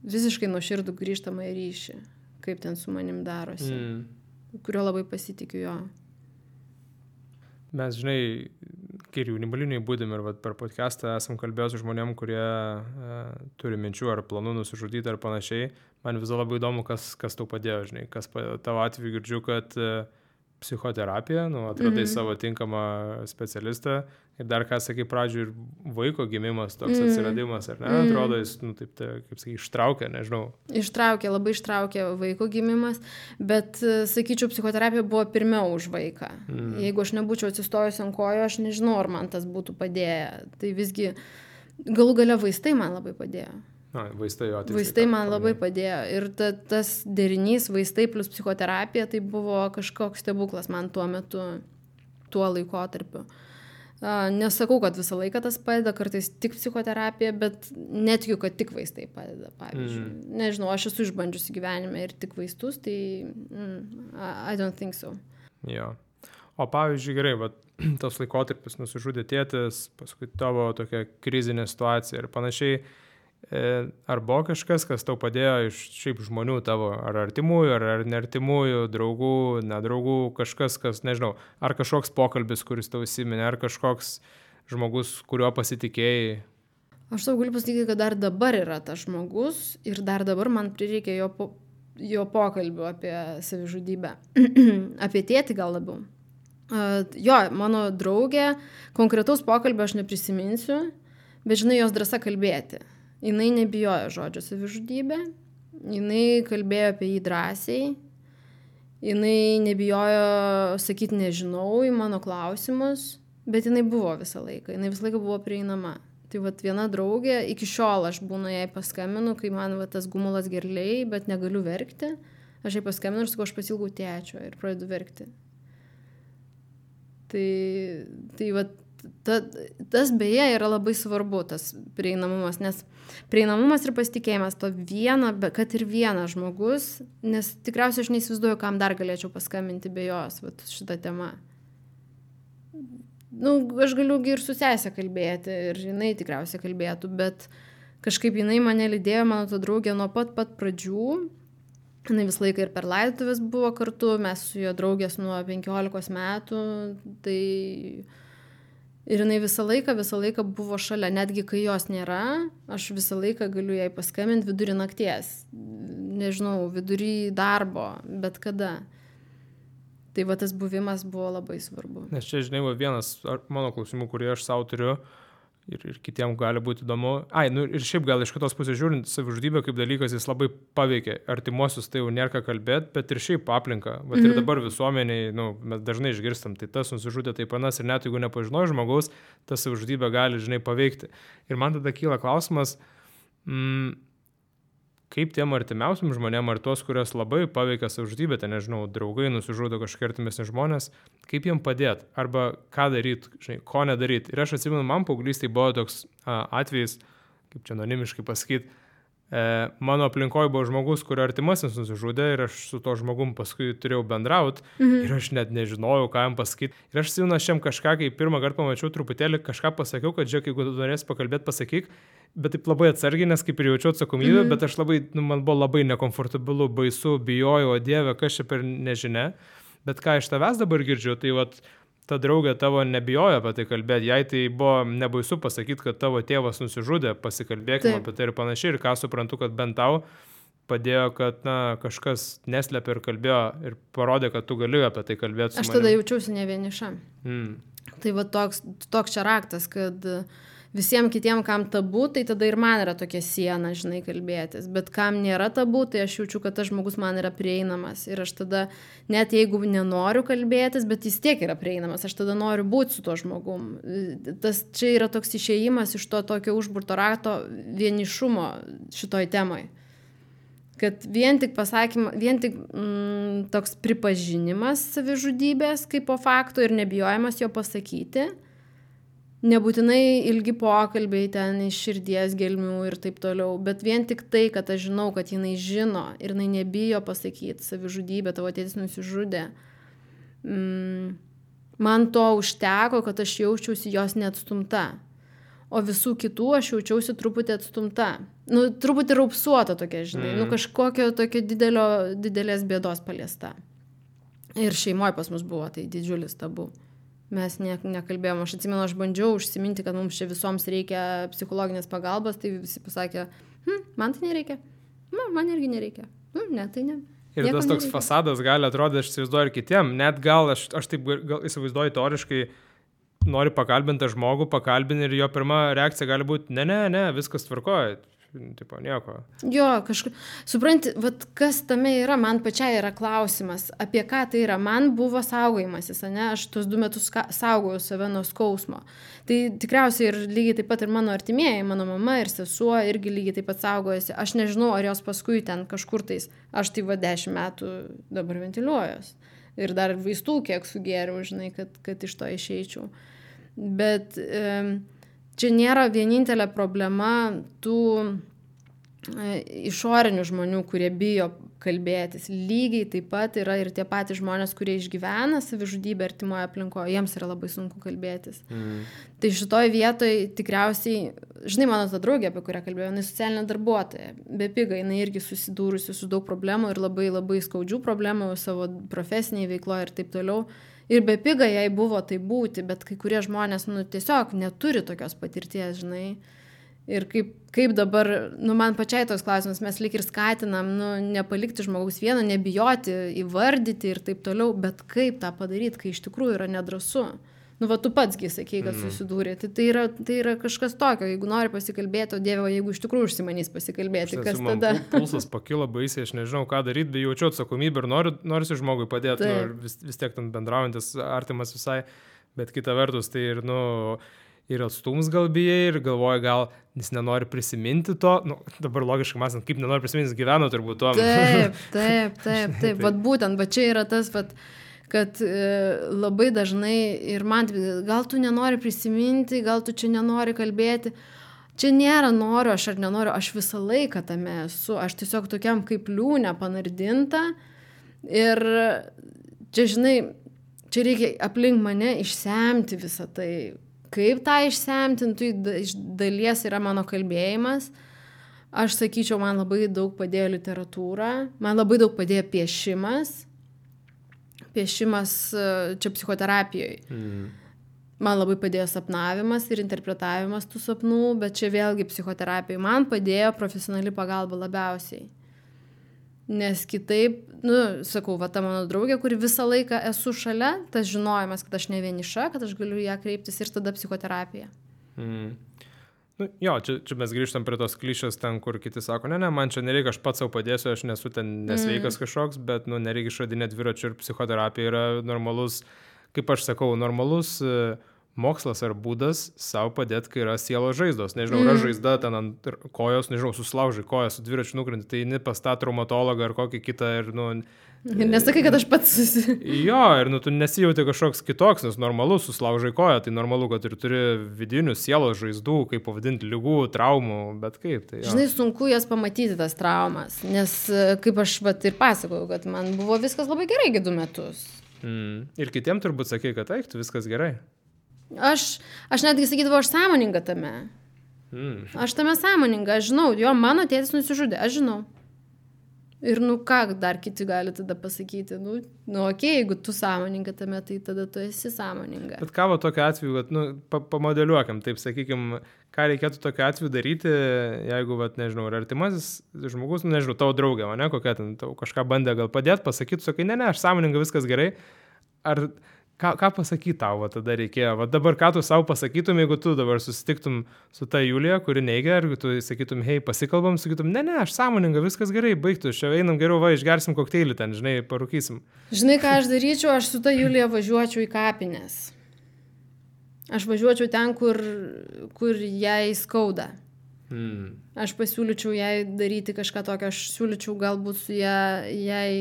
visiškai nuoširdų grįžtamą ryšį, kaip ten su manim darosi, mm. kurio labai pasitikiu jo. Mes, žinai, kai ir jaunimo linijai būdėm ir vat, per podcastą esam kalbėję su žmonėm, kurie e, turi minčių ar planų nusižudyti ar panašiai. Man vis labai įdomu, kas, kas tau padėjo, žinai, kas tavo atveju girdžiu, kad e, psichoterapija, nu, atradai mm-hmm. savo tinkamą specialistą ir dar, ką sakai, pradžių ir vaiko gimimas, toks mm-hmm. atsiradimas, ar ne? Mm-hmm. Atrodo, jis, nu, taip, tai, kaip sakai, ištraukė, nežinau. Ištraukė, labai ištraukė vaiko gimimas, bet, sakyčiau, psichoterapija buvo pirmiau už vaiką. Mm-hmm. Jeigu aš nebūčiau atsistojus ant kojų, aš nežinau, ar man tas būtų padėję. Tai visgi, galų gale vaistai man labai padėjo. Na, vaistai, jo, vaistai man labai padėjo. Ir ta, tas derinys vaistai plus psichoterapija, tai buvo kažkoks stebuklas man tuo metu. tuo laikotarpiu. Nesakau, kad visą laiką tas padeda, kartais tik psichoterapija, bet netikiu, kad tik vaistai padeda, pavyzdžiui. Mm. Nežinau, aš esu išbandžiusi gyvenime ir tik vaistus, tai mm, I don't think so. Jo. O pavyzdžiui, gerai, bet tas laikotarpis nusižudė tėtis, paskui tavo tokia krizinė situacija ir panašiai. Ar buvo kažkas, kas tau padėjo iš šiaip žmonių tavo, ar artimųjų, ar, ar neartimųjų, draugų, nedraugų, kažkas, kas, nežinau, ar kažkoks pokalbis, kuris tau įsiminė, ar kažkoks žmogus, kuriuo pasitikėjai? Aš tau galiu pasakyti, kad dar dabar yra tas žmogus ir dar dabar man prireikia jo, po, jo pokalbių apie savižudybę. Apie tėtį gal labiau. Uh, jo, mano draugė, konkretaus pokalbio aš neprisiminsiu, bet žinai, jos drąsa kalbėti. Jinai nebijojo žodžio savižudybė, jinai kalbėjo apie jį drąsiai, jinai nebijojo sakyti nežinau į mano klausimus, bet jinai buvo visą laiką, jinai visą laiką buvo prieinama. Tai vat viena draugė, iki šiol aš būnu jai paskambinu, kai man va, tas gumulas gerliai, bet negaliu verkti, aš jai paskambinu ir sakau, aš pasilgau tėčio ir pradedu verkti. Tai, tai vat, Ta, tas beje yra labai svarbu, tas prieinamumas, nes prieinamumas ir pasitikėjimas to viena, kad ir vienas žmogus, nes tikriausiai aš neįsivaizduoju, kam dar galėčiau paskambinti be jos vat, šitą temą. Nu, aš galiu ir su sesė kalbėti ir jinai tikriausiai kalbėtų, bet kažkaip jinai mane lydėjo, mano ta draugė, nuo pat pat pradžių. Jinai visą laiką ir per laidotuvės buvo kartu, mes su jo draugės nuo penkiolikos metų, tai... Ir jinai visą laiką, visą laiką buvo šalia, netgi kai jos nėra, aš visą laiką galiu jai paskambinti vidury nakties, nežinau, vidury darbo, bet kada. Tai va tas buvimas buvo labai svarbu. Nes čia, žinai, va, vienas mano klausimų, kurį aš savo turiu ir, ir kitiems gali būti įdomu. Ai, nu ir šiaip gal iš kitos pusės žiūrint, savižudybė kaip dalykas jis labai paveikia artimuosius, tai jau nėra ką kalbėti, bet ir šiaip aplinka. Bet mm-hmm. ir dabar visuomeniai, nu, mes dažnai išgirstam, tai tas nusižudė taip panas ir net jeigu nepažinojo žmogaus, ta savižudybė gali, žinai, paveikti. Ir man tada kyla klausimas, mm, kaip tiem artimiausiam žmonėm, ar tos, kurios labai paveikia savižudybę, tai nežinau, draugai nusižudo kažkokie artimesni žmonės, kaip jiem padėti, arba ką daryti, žinai, ko nedaryti. Ir aš atsimenu, man paauglystėje buvo toks a, atvejis, kaip čia anonimiškai pasakyti, e, mano aplinkoje buvo žmogus, kurio artimasis nusižudė ir aš su to žmogum paskui turėjau bendrauti mhm. ir aš net nežinojau, ką jam pasakyti. Ir aš atsimenu, aš jam kažką, kai pirmą kartą pamačiau truputėlį, kažką pasakiau, kad žiūrėk, jeigu tu norėsi pakalbėti, pasakyk, bet taip labai atsargiai, nes kaip ir jaučiau atsakomybę, mm-hmm. bet aš labai, nu, man buvo labai nekomfortabilu, baisu, bijojau, o Dieve, kas čia per nežinia. Bet ką iš tavęs dabar girdžiu, tai vat, ta draugė tavo nebijojo apie tai kalbėti, jai tai buvo nebaisu pasakyti, kad tavo tėvas nusižudė, pasikalbėkime apie tai ir panašiai, ir ką suprantu, kad bent tau padėjo, kad na, kažkas neslėpė ir kalbėjo ir parodė, kad tu gali apie tai kalbėti su manim. Aš tada jaučiausi ne vieniša. Mm. Tai va toks, toks čia raktas, kad visiems kitiem, kam tabu, tai tada ir man yra tokia siena, žinai, kalbėtis. Bet kam nėra tabu, tai aš jaučiu, kad tas žmogus man yra prieinamas. Ir aš tada, net jeigu nenoriu kalbėtis, bet jis tiek yra prieinamas, aš tada noriu būti su tuo žmogum. Tas čia yra toks išėjimas iš to tokio užburto rato vienišumo šitoj temoj. Kad vien tik pasakymą, vien tik mm, toks pripažinimas savižudybės kaip po fakto ir nebijojimas jo pasakyti, nebūtinai ilgi pokalbiai ten iš širdies gelmių ir taip toliau, bet vien tik tai, kad aš žinau, kad jinai žino ir jinai nebijo pasakyti savižudybę, tavo tėtis nusižudė. Mm, man to užteko, kad aš jaučiausi jos neatstumta. O visų kitų aš jaučiausi truputį atstumta. Nu, truputį raupsuota tokia, žinai, mm. nu kažkokio tokio didelio, didelės bėdos paliesta. Ir šeimoje pas mus buvo tai didžiulis tabu. Mes ne, nekalbėjom, aš atsimenu, aš bandžiau užsiminti, kad mums čia visoms reikia psichologinės pagalbos, tai visi pasakė, hm, man tai nereikia, man, man irgi nereikia, hm, ne, tai ne. Ir Nieko tas toks nereikia. Fasadas gali atrodyti, aš įsivaizduoju ir kitiem, net gal, aš, aš taip gal įsivaizduoju teoriškai, nori pakalbinti žmogų, pakalbinti ir jo pirma reakcija gali būti, ne, ne, ne, viskas tvarkoja. Tipo, nieko. Jo, kažkaip, supranti, vat kas tame yra, man pačiai yra klausimas, apie ką tai yra. Man buvo saugojimasis, ne, aš tuos du metus saugojau save nuo skausmo. Tai tikriausiai ir lygiai taip pat ir mano artimieji, mano mama ir sesuo irgi lygiai taip pat saugojasi. Aš nežinau, ar jos paskui ten kažkur tais, aš tai va dešimt metų dabar ventiliuojuos. Ir dar vaistų kiek sugėriau, žinai, kad, kad iš to išeičiau. Bet e, čia nėra vienintelė problema tų e, išorinių žmonių, kurie bijo kalbėtis. Lygiai taip pat yra ir tie patys žmonės, kurie išgyvena savižudybę artimoje aplinkoje, jiems yra labai sunku kalbėtis. Mm. Tai šitoj vietoj tikriausiai, žinai, mano ta draugė, apie kurią kalbėjau, jinai socialinė darbuotoja, bepiga, jinai irgi susidūrusi su daug problemų ir labai labai skaudžių problemų savo profesiniai veikloje ir taip toliau. Ir bepiga jai buvo tai būti, bet kai kurie žmonės, nu, tiesiog neturi tokios patirties, žinai. Ir kaip, kaip dabar, nu, man pačiai tos klausimus, mes lyg ir skatinam, nu, nepalikti žmogaus vieno, nebijoti, įvardyti ir taip toliau, bet kaip tą padaryti, kai iš tikrųjų yra nedrąsu. Nu, va, tu patsgi sakei, kad susidūrė. Tai, tai, yra, tai yra kažkas tokio, jeigu nori pasikalbėti, o Dieve, jeigu iš tikrųjų užsimanys pasikalbėti, kas tada? Pulsas pakilo baisiai, aš nežinau, ką daryti, bet jaučiu atsakomybę ir noriu, noriu žmogui padėti, nu, vis, vis tiek ten bendraujantis, artimas visai, bet kita vertus, tai ir, nu, ir atstums gal bijai, ir galvoja, gal jis nenori prisiminti to, nu, dabar logiškai mąstant, kaip nenori prisiminti, jis gyveno turbūt to. Taip, taip, taip, taip, vat būtent, va čia yra tas, vat, kad e, labai dažnai ir man, gal tu nenori prisiminti, gal tu čia nenori kalbėti, čia nėra noriu, aš ar nenoriu, aš visą laiką tame esu, aš tiesiog tokiam kaip liūnė panardinta ir čia, žinai, čia reikia aplink mane išsemti visą tai. Kaip tą išsemtintų, iš dalies yra mano kalbėjimas. Aš sakyčiau, man labai daug padėjo literatūra, man labai daug padėjo piešimas. Piešimas čia psichoterapijoje. Mm. Man labai padėjo sapnavimas ir interpretavimas tų sapnų, bet čia vėlgi psichoterapijoje. Man padėjo profesionali pagalba labiausiai. Nes kitaip, nu, sakau, va ta mano draugė, kuri visą laiką esu šalia, tas žinojimas, kad aš ne vieniša, kad aš galiu ją kreiptis ir tada psichoterapija. Mm. Nu, jo, čia, čia mes grįžtam prie tos klišės ten, kur kiti sako, ne, ne, man čia nereikia, aš pats savo padėsiu, aš nesu ten nesveikas mm. kažkoks, bet, nu, nereikia išradinėti dviračių ir psichoterapija yra normalus, kaip aš sakau, normalus mokslas ar būdas savo padėti, kai yra sielos žaizdos. Nežinau, mm. yra žaizda ten ant kojos, nežinau, susilaužai koją, su dviračiu nukrenti, tai eini pas tą traumatologą ar kokį kitą ir, nu... Nesakai, kad aš pats susi... Jo, ir, nu, tu nesijauti kažkoks kitoks, nes normalu, susilaužai koją, tai normalu, kad ir turi vidinių sielos žaizdų, kaip pavadinti, ligų, traumų, bet kaip tai... Jo. Žinai, sunku jas pamatyti, tas traumas, nes, kaip aš vat ir pasakojau, kad man buvo viskas labai gerai du metus. Mm. Ir kitiem turbūt sakei, kad eik, tu viskas gerai. Aš, aš netgi sakydavau, aš sąmoninga tame. Mm. Aš tame sąmoninga, aš žinau, jo, mano tėtis nusižudė, aš žinau. Ir nu ką dar kiti gali tada pasakyti, nu, nu okei, okay, jeigu tu sąmoninga tame, tai tada tu esi sąmoninga. Bet ką va tokiu atveju, vat, nu, pa, pamodeliuokim, taip sakykim, ką reikėtų tokiu atveju daryti, jeigu, vat, nežinau, ar artimasis žmogus, nu, nežinau, tavo draugė, ne, kokia ten, tau kažką bandė gal padėti, pasakyti, sakai, ne, ne, aš sąmoninga, viskas gerai, ar... Ką, ką pasakyti tau va, tada reikėjo? Va, dabar ką tu savo pasakytum, jeigu tu dabar susitiktum su ta Julija, kuri neigia, ir tu sakytum, hei, pasikalbam, sakytum, ne, ne, aš sąmoninga, viskas gerai, baigtų, čia einam geriau, va, išgersim kokteilį ten, žinai, parūkysim. Žinai, ką aš daryčiau, aš su ta Julija važiuočiau į kapines. Aš važiuočiau ten, kur, kur jai skauda. Hmm. Aš pasiūlyčiau jai daryti kažką tokio, aš siūlyčiau galbūt su ją, jai...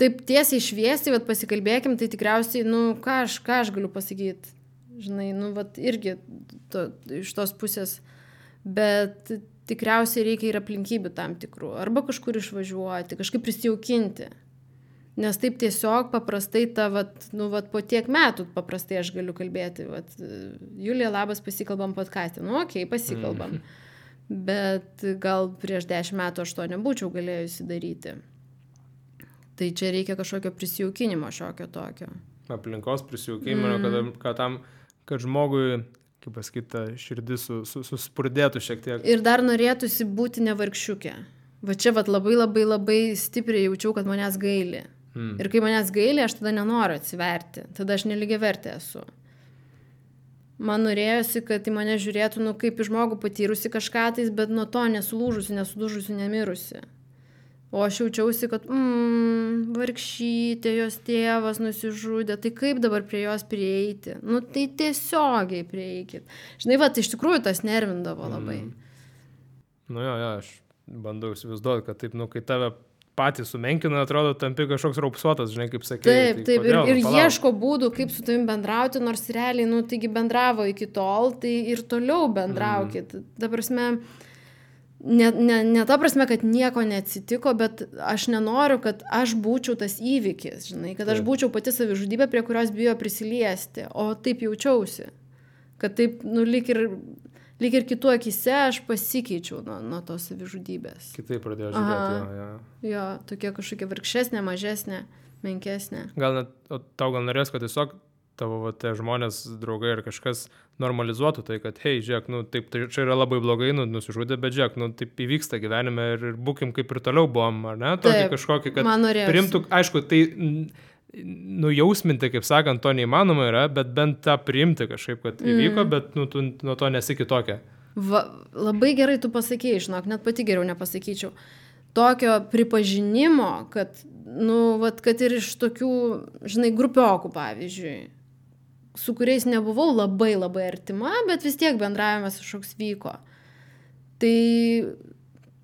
Taip tiesiai šviesiai, vat pasikalbėkim, tai tikriausiai, nu, ką aš, ką aš galiu pasakyti, žinai, nu, vat irgi to, iš tos pusės, bet tikriausiai reikia ir aplinkybių tam tikrų, arba kažkur išvažiuoti, kažkaip prisijaukinti, nes taip tiesiog paprastai ta, vat, nu, vat po tiek metų paprastai aš galiu kalbėti, vat, Julija, labas, pasikalbam podcaste, nu, okei, okay, pasikalbam, mm. bet gal prieš dešimt metų aš to nebūčiau galėjusi daryti. Tai čia reikia kažkokio prisijaukinimo šiokio tokio. Aplinkos prisijaukinimo, mm. kad, kad, tam, kad žmogui, kaip pasakyti, širdis su, su, suspurdėtų šiek tiek. Ir dar norėtųsi būti nevargšiukė. Va čia vat, labai labai labai stipriai jaučiau, kad manęs gaili. Mm. Ir kai manęs gaili, aš tada nenoriu atsiverti. Tada aš nelygiavertė esu. Man norėjosi, kad į mane žiūrėtų, nu, kaip į žmogų patyrusi kažką tais, bet nuo to nesulūžusi, nesudužusi, nemirusi. O aš jaučiausi, kad mm, vargšytė, jos tėvas nusižudė, tai kaip dabar prie jos prieiti? Nu, tai tiesiogiai prieikit. Žinai, va, tai iš tikrųjų tas nervindavo labai. Mm. Nu jo, jo, aš bandau įsivaizduoti, kad taip, nu, kai tave patį sumenkina, atrodo, tampi kažkoks raupsuotas, žinai, kaip sakė. Taip, tai taip, kodėl, ir, ir nu, palauk. ieško būdų, kaip su tavim bendrauti, nors realiai, nu, taigi bendravo iki tol, tai ir toliau bendraukit. Mm. Ta prasme, ne, ne, ne ta prasme, kad nieko neatsitiko, bet aš nenoriu, kad aš būčiau tas įvykis, žinai, kad aš būčiau pati savižudybė, prie kurios bijo prisiliesti, o taip jaučiausi. Kad taip, nu, lyg ir, lyg ir kitų akise aš pasikeičiau nuo, nuo tos savižudybės. Kitaip pradėjau žiūrėti, jo, jo. Jo, tokia kažkokia vargšesnė, mažesnė, menkesnė. Gal net, tau gal norės, kad tiesiog tavo va, tie žmonės, draugai ar kažkas normalizuotų tai, kad, hei, žiūrėk, nu, taip, tai čia yra labai blogai, nu, nusižudė, bet žiūrėk, nu, taip įvyksta gyvenime ir, ir būkim kaip ir toliau buvom, ar ne? Tokį taip, kažkokį, kad man norėjosi. Priimtų, aišku, tai nujausminti, kaip sakant, to neįmanoma yra, bet bent tą priimti kažkaip, kad įvyko, mm. bet nu, tu nuo to nesi kitokia. Va, labai gerai tu pasakėjai, žinok, net pati geriau nepasakyčiau. Tokio pripažinimo, kad, nu, vat, kad ir iš tokių, žinai, grupiokų, pavyzdžiui, su kuriais nebuvau labai labai artima, bet vis tiek bendravimas kažkoks vyko. Tai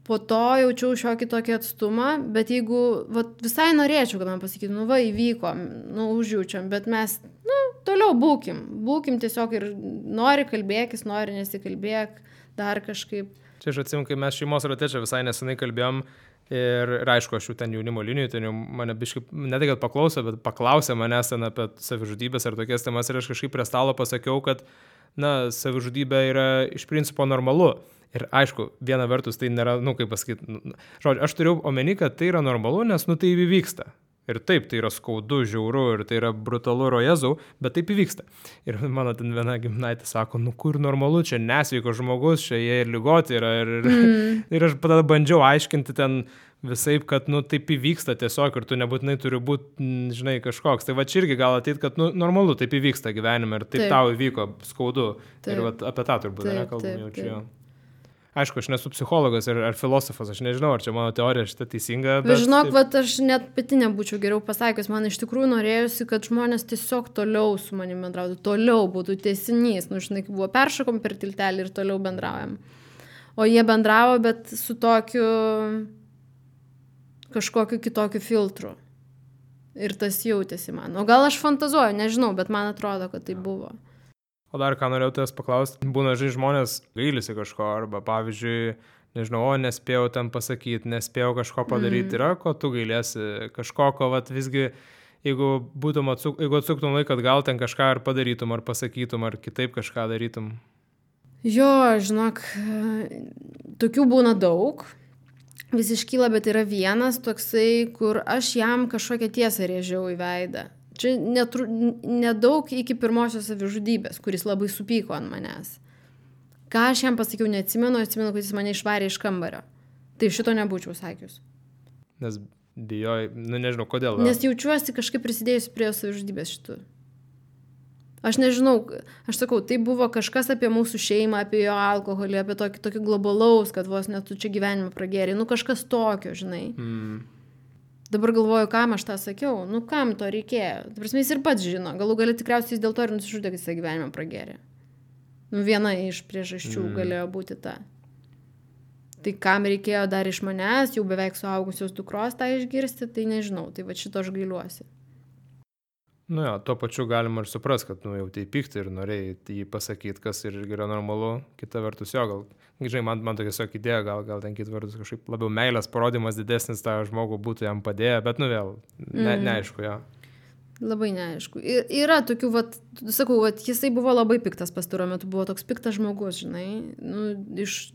po to jaučiau šiokį tokį atstumą, bet jeigu vat, visai norėčiau, kad man pasakytų, nu va, įvyko, nu, užjaučiam, bet mes, nu, toliau būkim, būkim tiesiog ir nori kalbėkis, nori nesikalbėk, dar kažkaip. Čia aš atsimenu, kai mes šeimos rate čia visai nesenai kalbėjom ir, ir aišku, aš jau ten jaunimo linijų, ten jau mane biškai, ne tai, kad paklausė, bet paklausė manęs ten apie savižudybės ar tokias temas ir aš kažkaip prie stalo pasakiau, kad, na, savižudybė yra iš principo normalu. Ir aišku, viena vertus tai nėra, nu, kaip pasakyti, nu, žodžiu, aš turiu omeny, kad tai yra normalu, nes, nu, tai įvyksta. Ir taip, tai yra skaudu, žiauru ir tai yra brutalu, rojezau, bet taip įvyksta. Ir mano ten viena gimnaitė sako, nu, kur normalu, čia nesveiko žmogus, čia jie ir ligoti yra. Ir, mm. ir aš tada bandžiau aiškinti ten visaip, kad, nu, taip įvyksta tiesiog ir tu nebūtinai turi būti, žinai, kažkoks. Tai va čia irgi gal ateit, kad, nu, normalu, taip įvyksta gyvenime ir taip, taip. Tau įvyko skaudu. Taip. Ir va apie tą turbūt, ne, kalbam jau čia. Aišku, aš nesu psichologas ar, ar filosofas, aš nežinau, ar čia mano teorija šitą teisinga. Bet žinok, vat, aš net pati nebūčiau geriau pasakęs, man iš tikrųjų norėjusi, kad žmonės tiesiog toliau su manimi bendrautų, toliau būtų tęsinys, nu, žinai, kaip buvo peršokom per tiltelį ir toliau bendraujam. O jie bendravo, bet su tokiu kažkokiu kitokiu filtru. Ir tas jautėsi man. O gal aš fantazuoju, nežinau, bet man atrodo, kad tai buvo. O dar ką norėjau tavęs paklausti, būna, žinai, žmonės gailisi kažko, arba pavyzdžiui, nežinau, o nespėjau ten pasakyti, nespėjau kažko padaryti, mm. yra, ko tu gailėsi, kažko, ko vat, visgi, jeigu būtum atsuk, jeigu atsuktum laiką, gal ten kažką ar padarytum, ar pasakytum, ar kitaip kažką darytum. Jo, žinok, tokių būna daug, vis iškyla, bet yra vienas toksai, kur aš jam kažkokią tiesą rėžiau į veidą. Čia netru, nedaug iki pirmosios savižudybės, kuris labai supyko ant manęs. Ką aš jam pasakiau, neatsimenu, atsimenu, kad jis mane išvarė iš kambario. Tai šito nebūčiau sakius. Nes bijoj, nu nežinau, kodėl. Nes jaučiuosi kažkaip prisidėjusi prie savižudybės šitų. Aš nežinau, aš sakau, tai buvo kažkas apie mūsų šeimą, apie jo alkoholį, apie tokį, tokį globalaus, kad vos net tu čia gyvenimą pragėrė. Nu kažkas tokio, žinai. Mm. Dabar galvoju, kam aš tą sakiau, nu kam to reikėjo. Tai prasme, jis ir pats žino, galų gali tikriausiai jis dėl to ir nusižudė, kad jis gyvenimą pragėrė. Nu viena iš priežasčių mm. galėjo būti ta. Tai kam reikėjo dar iš manęs, jau beveik suaugusios dukros tą išgirsti, tai nežinau, tai va šito aš gailiuosi. Nu jo, tuo pačiu galima ir supras, kad nu, jau tai pykti ir norėjai jį pasakyti, kas ir yra normalu, kita vertus jo, gal, žinai, man, man tokia tiesiog idėja, gal, gal ten kita vertus kažkaip labiau meilės parodimas didesnis tą žmogų būtų jam padėję, bet nu vėl, ne, mm. neaišku, jo. Labai neaišku. Ir, yra tokių, vat, sakau, vat, jisai buvo labai piktas pastaruoju metu, buvo toks piktas žmogus, žinai, nu, iš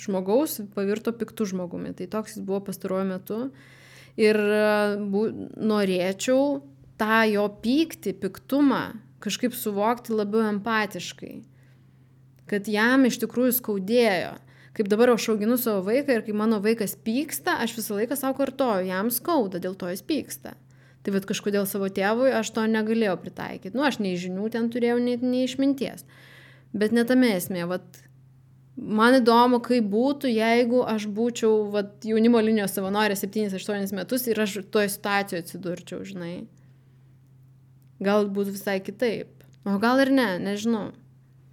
žmogaus pavirto piktų žmogumi, tai toks jis buvo pastaruoju metu ir bu, norėčiau tą jo pyktį, piktumą kažkaip suvokti labiau empatiškai, kad jam iš tikrųjų skaudėjo. Kaip dabar aš auginu savo vaiką ir kai mano vaikas pyksta, aš visą laiką savo kartoju, jam skauda, dėl to jis pyksta. Tai vat kažkodėl savo tėvui aš to negalėjau pritaikyti. Nu, aš nei žinių ten turėjau, nei, nei išminties. Bet ne tame esmė, vat man įdomu, kaip būtų, jeigu aš būčiau vat, jaunimo linijos savanorė septynis aštuonis metus ir aš toje situacijoje atsidurčiau, žinai. Gal būtų visai kitaip. O gal ir ne, nežinau.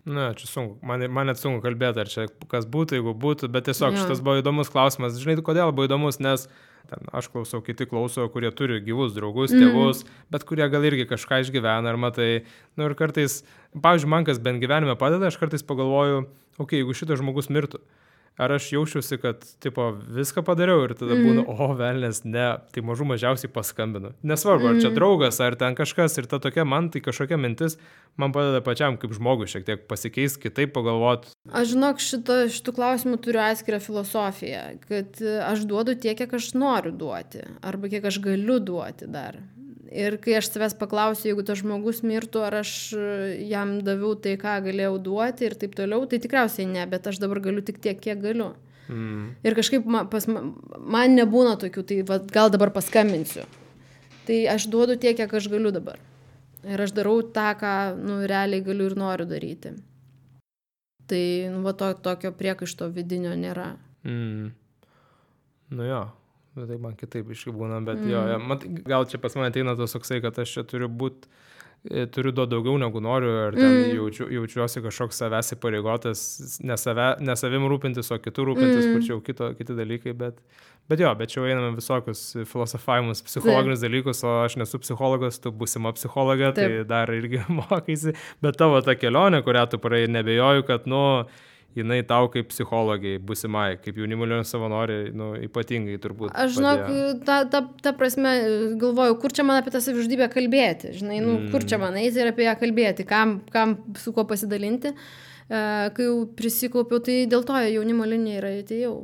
Na, čia sunku. Man, man net sunku kalbėti, ar čia kas būtų, jeigu būtų, bet tiesiog jo. Šitas buvo įdomus klausimas. Žinai, kodėl buvo įdomus, nes ten aš klausau, kiti klauso, kurie turi gyvus draugus, tėvus, mm. bet kurie gal irgi kažką išgyvena, ar matai, nu ir kartais, pavyzdžiui, man kas bent gyvenime padeda, aš kartais pagalvoju, okei, okay, jeigu šitas žmogus mirtų, ar aš jaučiuosi, kad, tipo, viską padariau ir tada būna, mm. o, velnės, ne, tai mažų mažiausiai paskambinu. Nesvarbu, ar čia draugas, ar ten kažkas ir ta tokia, man tai kažkokia mintis, man padeda pačiam kaip žmogui šiek tiek pasikeis, kitaip pagalvoti. Aš žinok, šito, šitų klausimų turiu atskirą filosofiją, kad aš duodu tiek, kiek aš noriu duoti, arba kiek aš galiu duoti dar. Ir kai aš savęs paklausiu, jeigu tas žmogus mirtų, ar aš jam daviau tai, ką galėjau duoti ir taip toliau, tai tikriausiai ne, bet aš dabar galiu tik tiek, kiek galiu. Mm. Ir kažkaip man, pas, man nebūna tokių, tai va, gal dabar paskambinsiu. Tai aš duodu tiek, kiek aš galiu dabar. Ir aš darau tą, ką nu, realiai galiu ir noriu daryti. Tai nu, va, to, tokio priekaišto vidinio nėra. Mm. Nu jo. Bet tai man kitaip iškibūna, bet mm. jo, ja, mat, gal čia pas mane ateina tas toksai, kad aš čia turiu būt, turiu duoti daugiau negu noriu, ar ten mm. jaučiu, jaučiuosi kažkoks savęs įpareigotas, ne, save, ne savim rūpintis, o kitų rūpintis, mm. kur čia jau kito, kiti dalykai, bet, bet jo, bet čia jau einame visokius filosofavimus, psichologinius Taip. dalykus, o aš nesu psichologas, tu būsima psichologė, Taip. tai dar irgi mokaisi, bet tavo ta kelionė, kurią tu praėjai, nebejoju, kad, nu, jinai tau kaip psichologai, būsimai, kaip jaunimo linijos savanoriai, nu, ypatingai turbūt. Aš žinok, ta, ta, ta prasme, galvoju, kur čia man apie tą savižudybę kalbėti, žinai, nu, mm. kur čia man eiti ir apie ją kalbėti, kam, kam su kuo pasidalinti. Uh, kai jau prisikaupiau, tai dėl to jaunimo linija yra atėjau.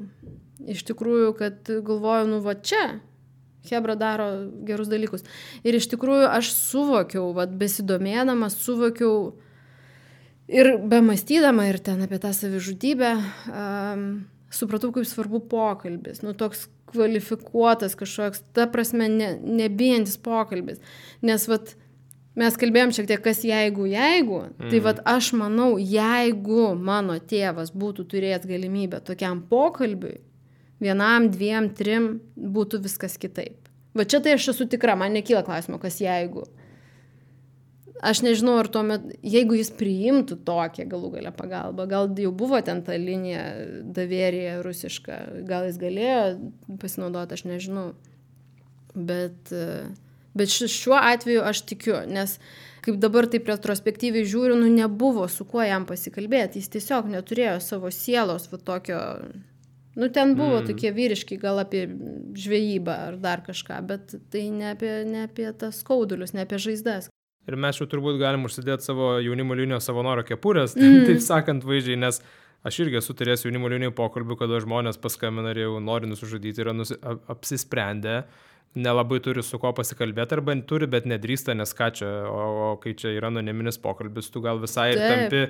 Iš tikrųjų, kad galvoju, nu, va čia, Hebra daro gerus dalykus. Ir iš tikrųjų aš suvokiau, va, besidomėdamas, suvokiau, ir bemąstydama ir ten apie tą savižudybę, um, supratau, kaip svarbu pokalbis. Nu, toks kvalifikuotas kažkoks, ta prasme, ne, nebijantis pokalbis. Nes, vat, mes kalbėjom šiek tiek, kas jeigu, jeigu. Mm. Tai, vat, aš manau, jeigu mano tėvas būtų turėjęs galimybę tokiam pokalbiui, vienam, dviem, trim, būtų viskas kitaip. Va čia tai aš esu tikra, man nekyla klausimo, kas jeigu. Aš nežinau, ar tuomet, jeigu jis priimtų tokią galų galę pagalbą, gal jau buvo ten ta linija davėrija rusiška, gal jis galėjo pasinaudoti, aš nežinau. Bet, bet šiuo atveju aš tikiu, nes kaip dabar taip retrospektyviai žiūriu, nu nebuvo su kuo jam pasikalbėti, jis tiesiog neturėjo savo sielos va tokio, nu ten buvo mm. tokie vyriški, gal apie žvejybą ar dar kažką, bet tai ne apie, ne apie tas skaudulius, ne apie žaizdas. Ir mes jau turbūt galim užsidėti savo jaunimo linijos savanorio kepurės, mm. taip sakant vaizdžiai, nes aš irgi esu turėjęs jaunimo linijų pokalbių, kada žmonės paskambina ir jau nori nusižudyti, yra nusi, apsisprendę, nelabai turi su ko pasikalbėti, arba turi, bet nedrįsta, nes ką čia, o, o kai čia yra anoniminis pokalbis, tu gal visai ir tampi,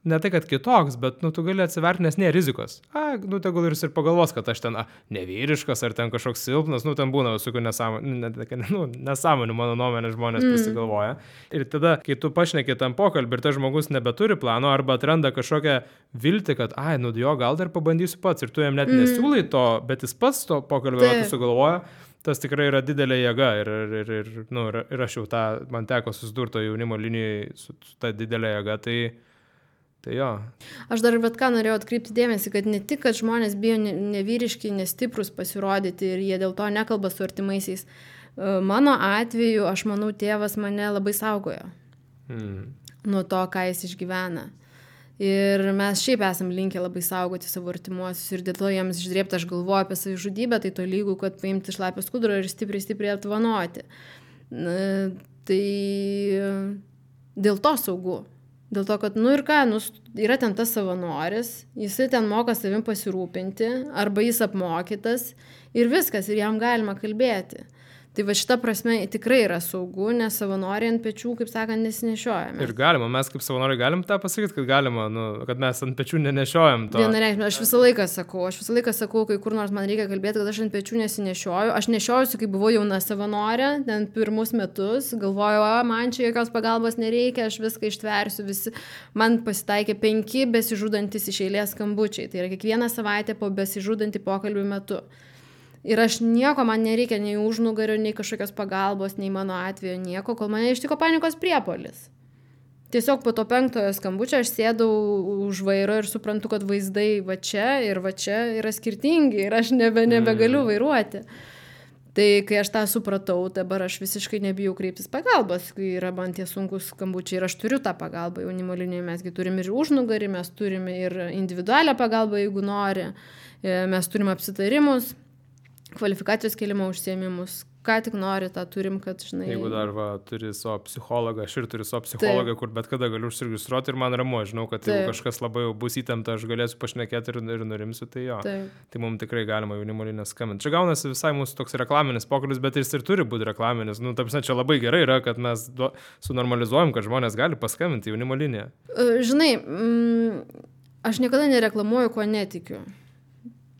ne tai, kad kitoks, bet nu, tu gali atsiverti, nes nėra rizikos. A, nu, tegul ir pagalvos, kad aš ten a, nevyriškas ar ten kažkoks silpnas, nu, ten būna visokių nesąmonių, ne, nu, nesąmonių, mano nuomonė, žmonės mm. prisigalvoja. Ir tada, kai tu pašneki tam pokalbį ir tas žmogus nebeturi plano arba atranda kažkokią viltį, kad, ai, nu, jo, gal dar pabandysiu pats ir tu jam net mm. nesiūlai to, bet jis pats to pokalbio metu sugalvoja, tas tikrai yra didelė jėga ir, ir, ir, ir, nu, ir aš jau tą, man teko susidurto jaunimo linijai su, su ta didelė jėga, tai Tai jo. Aš dar bet ką norėjau atkreipti dėmesį, kad ne tik, kad žmonės bijo nevyriški, nestiprus pasirodyti ir jie dėl to nekalba su artimaisiais. Mano atveju, aš manau, tėvas mane labai saugojo mm. nuo to, ką jis išgyvena. Ir mes šiaip esam linkę labai saugoti savo artimuosius ir dėl to jiems išdrėpti, aš galvoju apie savižudybę, tai to lygų, kad paimti šlapio skudurą ir stipriai, stipriai atvanoti. Tai dėl to saugu. Dėl to, kad, nu ir ką, nu, yra ten tas savanoris, jisai ten moka savim pasirūpinti, arba jis apmokytas ir viskas, ir jam galima kalbėti. Tai va šita prasme tikrai yra saugu, nes savanoriai ant pečių, kaip sakant, nesinešiojame. Ir galima, mes kaip savanoriai galim tą pasakyti, kad galima, nu, kad mes ant pečių nenešiojam to. Vienareikšmiai, aš visą laiką sakau, aš visą laiką sakau, kai kur nors man reikia kalbėti, kad aš ant pečių nesinešioju. Aš nešiojusi, kai buvau jauna savanorė, ten pirmus metus, galvoju, o, man čia jokios pagalbos nereikia, aš viską ištversiu, visi. Man pasitaikė penki besižudantis iš eilės skambučiai. Tai yra kiekvieną savaitę po besižudantį pokalbių metu. Ir aš nieko, man nereikia nei užnugario, nei kažkokios pagalbos, nei mano atveju nieko, kol mane ištiko panikos priepuolis. Tiesiog po to penktojo skambučio aš sėdau už vairo ir suprantu, kad vaizdai va čia ir va čia yra skirtingi ir aš nebe, nebegaliu vairuoti. Tai kai aš tą supratau, dabar aš visiškai nebijau kreiptis pagalbos, kai yra man tie sunkus skambučiai ir aš turiu tą pagalbą jaunimo linijoje, mesgi turim ir užnugarį, mes turime ir individualią pagalbą, jeigu nori, mes turim apsitarimus, kvalifikacijos kėlimo užsiėmimus, ką tik nori, tą turim, kad, žinai... Jeigu dar va, turi savo psikologą, aš ir turiu savo psichologą, kur bet kada galiu užsiregistruoti ir man ramu, žinau, kad jeigu kažkas labai jau bus įtempta, aš galėsiu pašnekėti ir, ir nurimsiu, tai jo. Taip. Tai mums tikrai galima jaunimo liniją skambinti. Čia gaunasi visai mūsų toks reklaminis pokalbis, bet jis ir turi būti reklaminis. Nu, taip, čia labai gerai yra, kad mes do, sunormalizuojam, kad žmonės gali paskambinti jaunimo liniją. Žinai, mm, aš niekada nereklamuoju, ko netikiu.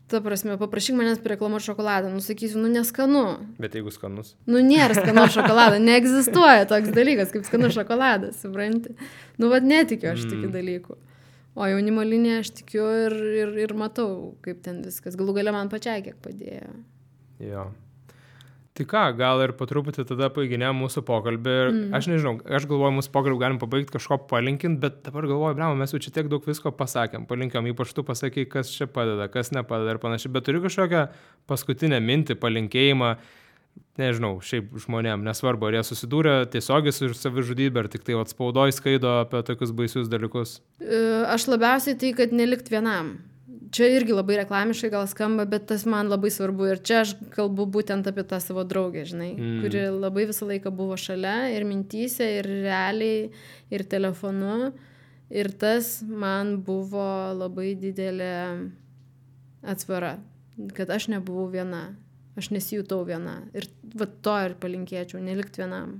Ta prasme, paprašyk manęs pareklamuoti šokoladą, nusakysiu, nu neskanu. Bet jeigu skanus? Nu nėra skanus šokolado, neegzistuoja toks dalykas kaip skanus šokoladas, supranti. Nu vad netikiu aš mm. tokių dalykų. O jaunimo liniją aš tikiu ir, ir, ir matau, kaip ten viskas. Galų gale man pačiai kiek padėjo. Jo. Tai ką, gal ir po truputį tada paiginėm mūsų pokalbį. Mm. Aš nežinau, aš galvoju, mūsų pokalbį galim pabaigti kažko palinkint, bet dabar galvoju, blema, mes jau čia tiek daug visko pasakėm. Palinkiam, ypač tu pasakai, kas čia padeda, kas nepadeda ir panašiai. Bet turiu kažkokią paskutinę mintį, palinkėjimą, nežinau, šiaip žmonėm, nesvarbu, ar jie susidūrė tiesiogiai su savižudybė, ar tik tai atspaudoj skaido apie tokius baisius dalykus. Aš labiausiai tai, kad nelikt vienam. Čia irgi labai reklamiškai gal skamba, bet tas man labai svarbu. Ir čia aš kalbu būtent apie tą savo draugę, žinai, mm. kuri labai visą laiką buvo šalia ir mintyse, ir realiai, ir telefonu. Ir tas man buvo labai didelė atsvara, kad aš nebuvau viena, aš nesijutau viena. Ir va to ir palinkėčiau, nelikt vienam.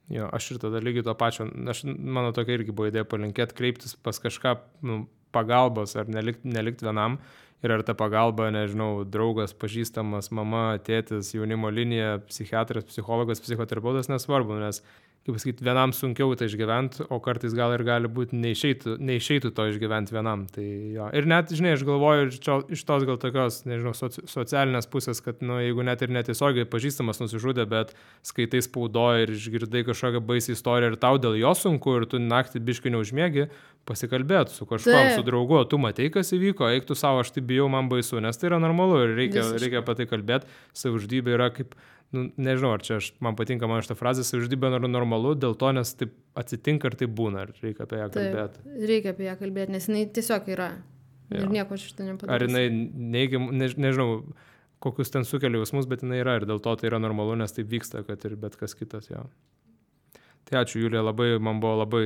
Jo, aš ir tada lygiai to pačio, aš, mano tokia irgi buvo idėja palinkėti, kreiptis pas kažką, nu, pagalbos ar nelikt, nelikt vienam ir ar ta pagalba, nežinau, draugas, pažįstamas, mama, tėtis, jaunimo linija, psichiatras, psichologas, psichoterapeutas, nesvarbu, nes, kaip pasakyti, vienam sunkiau tai išgyventi, o kartais gal ir gali būti neišeitų, neišeitų to išgyventi vienam. Tai jo. Ir net, žinai, aš galvoju čia, iš tos gal tokios, nežinau, soci, socialinės pusės, kad, nu, jeigu net ir netiesiogiai pažįstamas nusižudė, bet skaitai spaudoje ir išgirdai kažkokią baisį istoriją ir tau dėl jo sunku ir tu naktį biškai neužmiegi, pasikalbėti su kažkuom, su draugu, tu matei, kas įvyko, eik tu savo, aš tai bijau, man baisu, nes tai yra normalu ir reikia, reikia apie tai kalbėti. Savižudybė yra kaip, nu, nežinau, ar čia aš, man patinka man šitą frazę, savižudybė yra normalu, dėl to, nes taip atsitinka ir taip būna, ar reikia apie ją kalbėti. Taip, reikia apie ją kalbėti, nes jinai tiesiog yra ir ja. Nieko šitą nepadarys. Ar jinai neigiam, ne, nežinau, kokius ten sukelia jausmus, bet jinai yra ir dėl to tai yra normalu, nes taip vyksta, kad ir bet kas kitas, jo. Tai ačiū, Julija, labai, man buvo labai...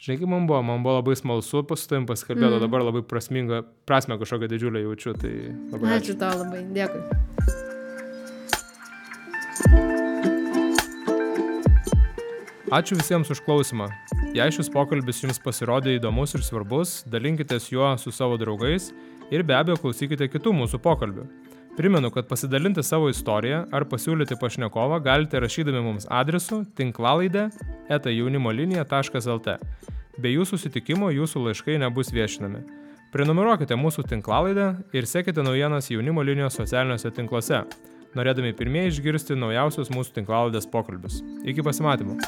Žinai, kaip man buvo, man buvo labai smalsu su tavim pasikalbėti, mm. dabar labai prasminga, prasme kažkokią didžiulę jaučiu, tai labai ačiū. Ačiū tau labai, dėkui. Ačiū visiems už klausimą. Jei šis pokalbis jums pasirodė įdomus ir svarbus, dalinkitės juo su savo draugais ir be abejo klausykite kitų mūsų pokalbių. Primenu, kad pasidalinti savo istoriją ar pasiūlyti pašnekovą galite rašydami mums adresu tinklalaidė eta jaunimolinija taškas lt. Be jūsų susitikimo jūsų laiškai nebus viešinami. Prenumeruokite mūsų tinklalaidę ir sekite naujienas jaunimo linijos socialiniuose tinkluose, norėdami pirmieji išgirsti naujausius mūsų tinklalaidės pokalbius. Iki pasimatymo.